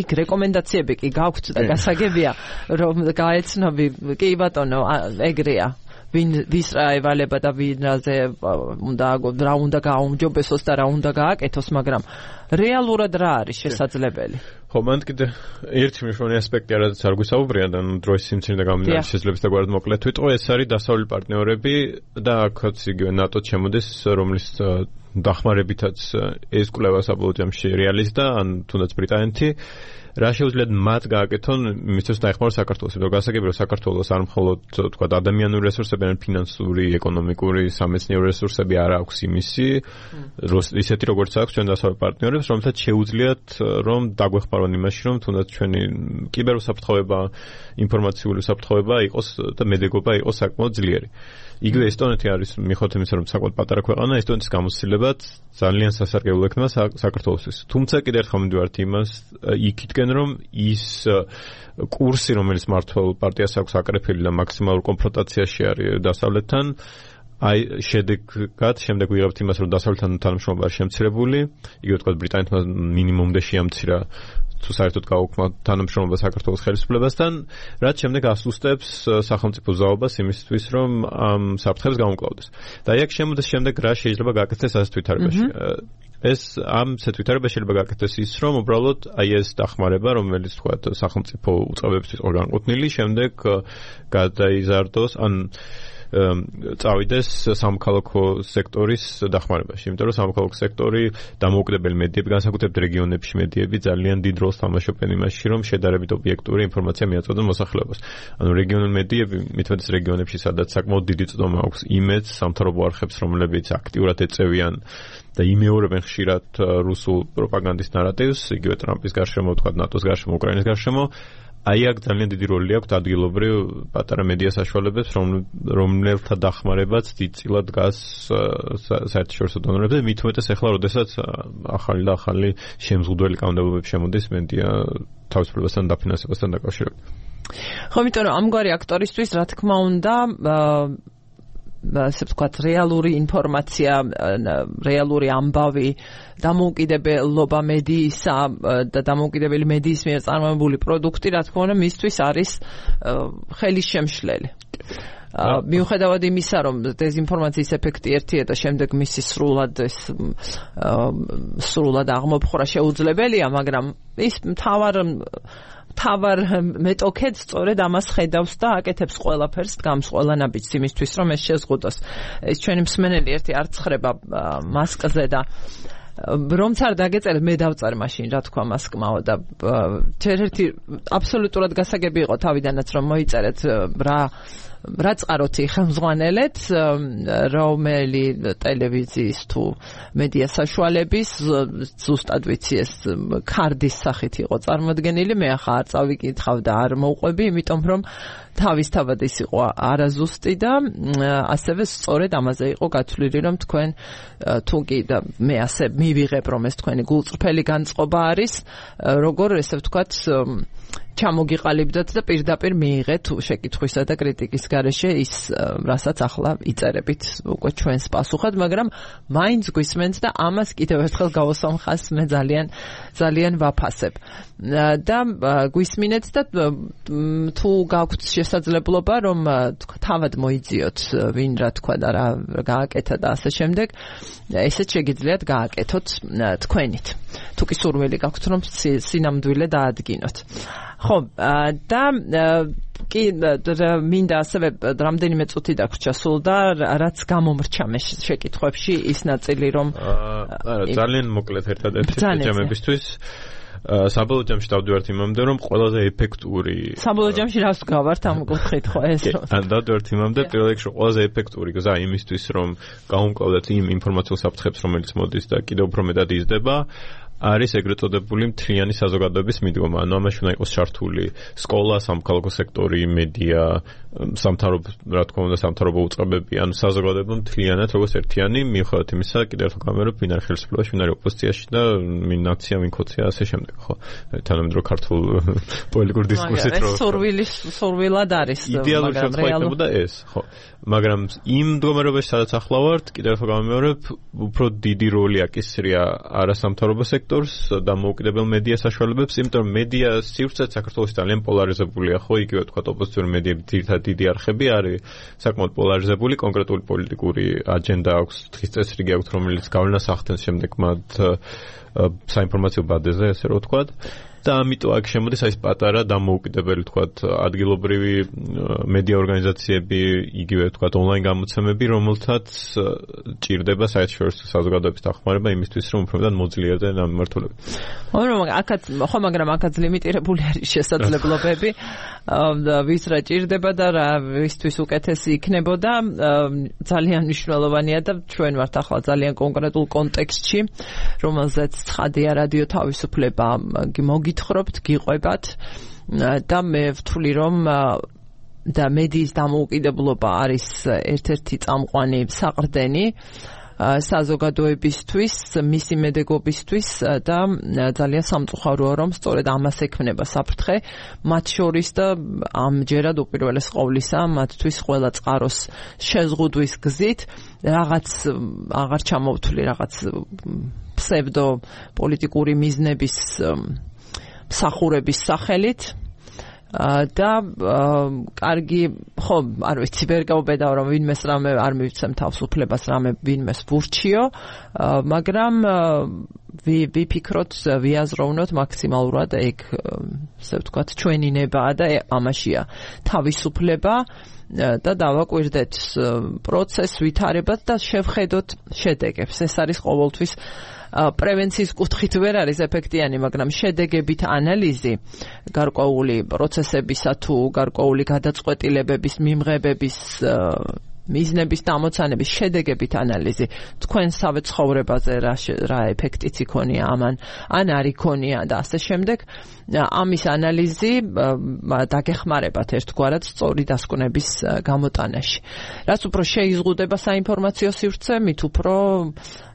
იქ რეკომენდაციები კი გაქვთ და გასაგებია რომ გაეცნობი კი ბატონო ეგრეა ვის რა ევალება და ვინაზე რა უნდა გააუმჯობესოს და რა უნდა გააკეთოს, მაგრამ რეალურად რა არის შესაძლებელი? ხო, მან კიდე ერთი მნიშვნელოვანი ასპექტი არადაც არ გვისაუბრია და დროის სიმცირე და გამომდინარე შესაძლებლობის და გვარად მოკლედ ვიტყვე, ეს არის დასავლელი პარტნიორები და აქაც იგივე ნატო ჩემოდეს, რომლის დახმარებითაც ეს კვლევა საბოლოო ჯამში რეალიზდა, ან თუნდაც ბრიტანეთი. რა შეუძლიათ მათ გააკეთონ იმისთვის დაეხმაროს საქართველოს, იმიტომ რომ გასაგებია რომ საქართველოს არ მხოლოდ თქვა ადამიანური რესურსები, არამედ ფინანსური, ეკონომიკური, სამეცნიერო რესურსები არ აქვს იმისი, ისეთი როგორც აქვს ჩვენ დასავლელ პარტნიორებს, რომელთაც შეუძლიათ რომ დაგვეხმარონ იმაში, რომ თუნდაც ჩვენი კიბერუსაფრთხოება, ინფორმაციული უსაფრთხოება იყოს და მედეგობა იყოს საკმაოდ ძლიერი. იგივე ესტონეთი არის მიუხედავად იმისა, რომ საკმაოდ პატარა ქვეყანა, ესტონეთის გამოცდილებაც ძალიან სასარგებლო ექნება საქართველოსთვის. თუმცა კიდევ ერთხელ მივდივართ იმას იქითკენ, რომ ის კურსი, რომელიც მართლ პარტიას აქვს აკრეფილი და მაქსიმალურ კონფრონტაციაში არის დასავლეთთან, აი შემდეგ ვიღებთ იმას, რომ დასავლეთთან თანამშრომლობა არის შემცირებული, იგივე თქვა ბრიტანეთმა მინიმუმდე შეამცირა თუ საერთოდ გაუქმნა თანამშრომლობა საქართველოს ხელისუფლებასთან, რაც შემდეგ ასუსტებს სახელმწიფო ზაობას იმისთვის, რომ ამ საფრთხებს გაუმკლავდეს. და აი აქ შემოდის შემდეგ რა შეიძლება გააკეთდეს ასეთ ვითარებაში. ეს ამ ასეთ ვითარებაში შეიძლება გააკეთდეს ის, რომ უბრალოდ აი ეს დახმარება, რომელიც თქვა სახელმწიფო უწყებებისთვის განკუთვნილი, შემდეგ გადაიზარდოს, ან წავიდეს სამოქალაქო სექტორის დახმარებაში, იმიტომ რომ სამოქალაქო სექტორი დამოუკიდებელი მედიები, განსაკუთრებით რეგიონებში მედიები ძალიან დიდ როლს თამაშობენ იმაში, რომ შედარებით ობიექტური ინფორმაცია მიაწოდონ მოსახლეობას. ანუ რეგიონული მედიები, მithumetes რეგიონებში, სადაც საკმაოდ დიდი წვდომა აქვს იმედს, სამთავრობო არხებს, რომლებიც აქტიურად ეწევიან და იმეორებენ ხშირად რუსულ პროპაგანდის ნარატივს, იგივე ტრამპის გარშემო, თქვა ნატოს გარშემო, უკრაინის გარშემო. აი აქ ძალიან დიდი როლი აქვს ადგილობრივ პატარა მედია საშუალებებს, რომელთა დახმარებაც დიდწილად დგას საერთაშორისო დონორებზე, მithumetes ახლა, როდესაც ახალი და ახალი შემზღუდველი კანონმდებლობები შემოდის მედია თავისუფლებასთან დაფინანსებასთან დაკავშირებით. ხო, იმიტომ რომ ამგვარი აქტორისთვის, რა თქმა უნდა, ასე ვთქვათ, რეალური ინფორმაცია, რეალური ამბავი, დამოუკიდებლობა მედიისა და დამოუკიდებელი მედიის მიერ წარმოებული პროდუქტი, რა თქმა უნდა, მისთვის არის ხელისშემშლელი. მიუხედავად იმისა, რომ დეზინფორმაციის ეფექტი ერთია და შემდეგ მისი სრულად აღმოფხვრა შეუძლებელია, მაგრამ ის მთავარ მეტოქედ სწორედ ამას ხედავს და აკეთებს ყველაფერს, დგამს ყველა ნაბიჯს იმისთვის, რომ ეს შეზღუდოს. ეს ჩვენი მსმენელი ერთი არ ცხრება მასკზე და რომც არ დაგეწერეთ, მე დავწერ მაშინ, რა თქვა მასკმაო და ერთ-ერთი აბსოლუტურად გასაგები იყო თავიდანაც, რომ მოიწერეთ რა წყაროთი ხელმძღვანელეთ, რომელი ტელევიზიის თუ მედია საშუალების, ზუსტად ვიცი ეს ქარდის სახით იყო წარმოდგენილი, მე ახლა არ წავიკითხავ და არ მოვყვები, იმიტომ რომ თავისთავად ის იყო არაზუსტი და ასევე სწორედ ამაზე იყო გათვლილი, რომ თქვენ თუ კი და მე ასე მივიღებ, რომ ეს თქვენი გულწრფელი განწყობა არის, როგორ ესე ვთქვათ ჩამოგიყალიბდათ და პირდაპირ მიიღეთ შეკითხვისა და კრიტიკის გარეშე ის, რასაც ახლა იწერებით უკვე ჩვენს პასუხად, მაგრამ მაინც გვისმენთ და ამას კიდევ ერთხელ გავუსამხას მე ძალიან ვაფასებ. და გვისმინეთ და თუ გაქვთ შესაძლებლობა, რომ თავად მოიძიოთ ვინ რა თქვა და რა გააკეთა და ასე შემდეგ, ესეც შეგიძლიათ გააკეთოთ თქვენით. თუ კი სურვილი გაქვთ, რომ სინამდვილე დაადგინოთ. ხო, და კი მინდა ასევე რამდენიმე წუთი დაგვრჩა სულ და რაც გამომრჩა მე შეკითხვებში ის ნაწილი, რომ ძალიან მოკლედ ერთადერთი ჯამებისთვის საბოლოო ჯამში დავდივართ იმამდე, რომ ყველაზე ეფექტური საბოლოო ჯამში რას გავართ ამ კუთხით ხო ეს რომ დავდივართ იმამდე პირველ რიგში ყველაზე ეფექტური გზა იმისთვის, რომ გაუმკლავდეთ იმ ინფორმაციულ საფრთხებს, რომელიც მოდის და კიდევ უფრო მეტად იზრდება, არის ეგრეთ წოდებული მთლიანი საზოგადოების მიდგომა. ანუ ამაში უნდა იყოს ჩართული სკოლა, სამოქალაქო სექტორი, მედია, რა თქმა უნდა, სამთავრობო უწყებები, ანუ საზოგადოება მთლიანად როგორც ერთიანი, მიუხედავად იმისა, კიდევ ერთხელ გამერობ, ვინ არის ხელისუფლებაში, ვინ არის ოპოზიციაში და ვინ ნაცია, ვინ ქოცია, ასე შემდეგ, ხო? თანამედროვე ქართულ პოლიტიკურ დისკურსით რო სურვილად არის, მაგრამ რეალურად ეს, ხო. მაგრამ იმ მდგომარეობაში, სადაც ახლა ვართ, კიდევ ერთხელ გამემეორებ, უფრო დიდი როლი აკისრია არასამთავრობო სექტორს და მოუკიდებელ მედია საშუალებებს, იმიტომ რომ მედია სივრცეც საქართველოში ძალიან პოლარიზებულია, ხო, იგივე თქვა ოპოზიციური მედიები ძირითადად დიდი არხები არის საკმაოდ პოლარიზებული, კონკრეტული პოლიტიკური აჯენდა აქვს, დღის წესრიგი აქვს, რომელიც გავლენას ახდენს შემდეგ მათ საინფორმაციო ბადეზე, ესე რომ ვთქვათ. და ამიტომ აქ შემოდის ეს პატარა დამოუკიდებელი თქვათ ადგილობრივი მედია ორგანიზაციები, იგივე თქვათ ონლაინ გამოცემები, რომელთაც ჭირდება საერთაშორისო საზოგადოების დახმარება იმისთვის, რომ უფრო მეტად მოძლიერდნენ ამ მიმართულებით. მაგრამ აქაც ლიმიტირებული არის შესაძლებლობები, ვის რა ჭირდება და რა ვისთვის უკეთესი იქნებოდა, ძალიან მნიშვნელოვანია და ჩვენ ვართ ახლა ძალიან კონკრეტულ კონტექსტში, რომელზეც ცხადია რადიო თავისუფლება გითხრობთ, გიყვებათ და მე ვთვლი, რომ და მედიის დამოუკიდებლობა არის ერთ-ერთი წამყვანი საყრდენი საზოგადოებისთვის, მისი მედეგობისთვის და ძალიან სამწუხაროა, რომ სწორედ ამას ექმნება საფრთხე, მათ შორის და ამჯერად უპირველეს ყოვლისა, მათთვის ყველა წყაროს შეზღუდვის გზით რაღაც აღარ ჩამოვთვლი რაღაც ფსევდო პოლიტიკური მიზნების მსახურების სახელით და კარგი, ხო, არ ვიცი, ვერ გავბედავ, რომ ვინმეს რამე არ მივცემ თავისუფლებას, რამე ვინმეს ვურჩიო, მაგრამ ვიფიქროთ, ვიაზროვნოთ მაქსიმალურად ეგ, ასე ვთქვათ, ჩვენი ნებაა და ამაშია თავისუფლება და დავაკვირდეთ პროცესს, ვითარებათ და შევხედოთ შედეგებს. ეს არის ყოველთვის პრევენციის კუთხით ვერ არის ეფექტიანი, მაგრამ შედეგებით ანალიზი გარკვეული პროცესებისა თუ გარკვეული გადაწყვეტილებების, მიმღებების, მიზნების დამოცანების შედეგებით ანალიზი თქვენსავე ცხოვრებაზე რა ეფექტიც იქონია ამან, ან არ იქონია და ასე შემდეგ. ამის ანალიზი დაგეხმარებათ ერთგვარად სწორი დასკვნების გამოტანაში. რაც უფრო შეიზღუდება საინფორმაციო სივრცე, მით უფრო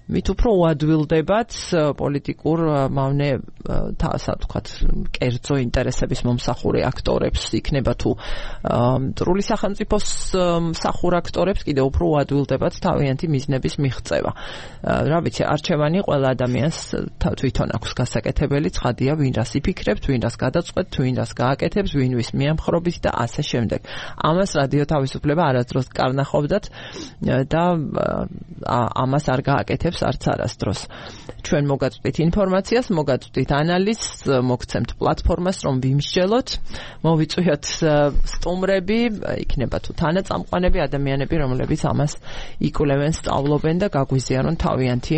მით უფრო უადვილდებათ პოლიტიკურ მავნე ასე ვთქვათ, კერძო ინტერესების მომსახურე აქტორებს, იქნება თუ მტრული სახელმწიფოს მსახურ აქტორებს კიდევ უფრო უადვილდებათ თავიანთი მიზნების მიღწევა. რა ვიცი, არჩევანი ყველა ადამიანს თვითონ აქვს გასაკეთებელი, ცხადია, ვინ რას იფიქრებს, ვინ რას გადაწყვეტს, ვინ რას გააკეთებს, ვინ ვის მიამხრობით და ასე შემდეგ. ამას რადიო თავისუფლება არასდროს კარნახობდათ და ამას არ გააკეთებს არც არასდროს. ჩვენ მოგაწვდით ინფორმაციას, მოგაწვდით ანალიზს, მოგცემთ პლატფორმას, რომ ვიმსჯელოთ, მოვიწვიოთ სტუმრები, იქნება თუ თანაწამყვანები, ადამიანები, რომლებიც ამას იკვლევენ, სწავლობენ და გაგვიზიარონ თავიანთი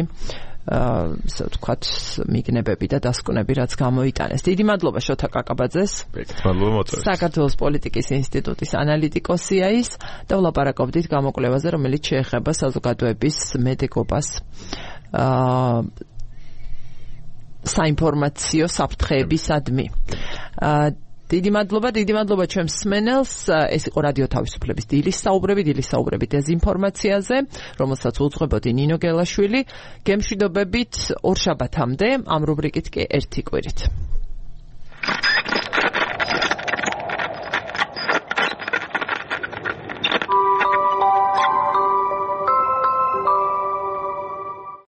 ასე ვთქვათ, მიგნებები და დასკვნები, რაც გამოიტანეს. დიდი მადლობა შოთა კაკაბაძეს. მადლობა მოწვევით. საქართველოს პოლიტიკის ინსტიტუტის ანალიტიკოსია ის და ვლაპარაკობდით გამოკვლევაზე, რომელიც შეეხება საზოგადოების მედეგობას საინფორმაციო საფრთხეებისადმი. დიდი მადლობა ჩემს მსმენელს. ეს იყო რადიო თავისუფლების დილის საუბრები დეზინფორმაციაზე, რომელსაც უძღვებოდი ნინო გელაშვილი. გემშვიდობებით ორ შაბათამდე, ამ რუბრიკით კი ერთი კვირით.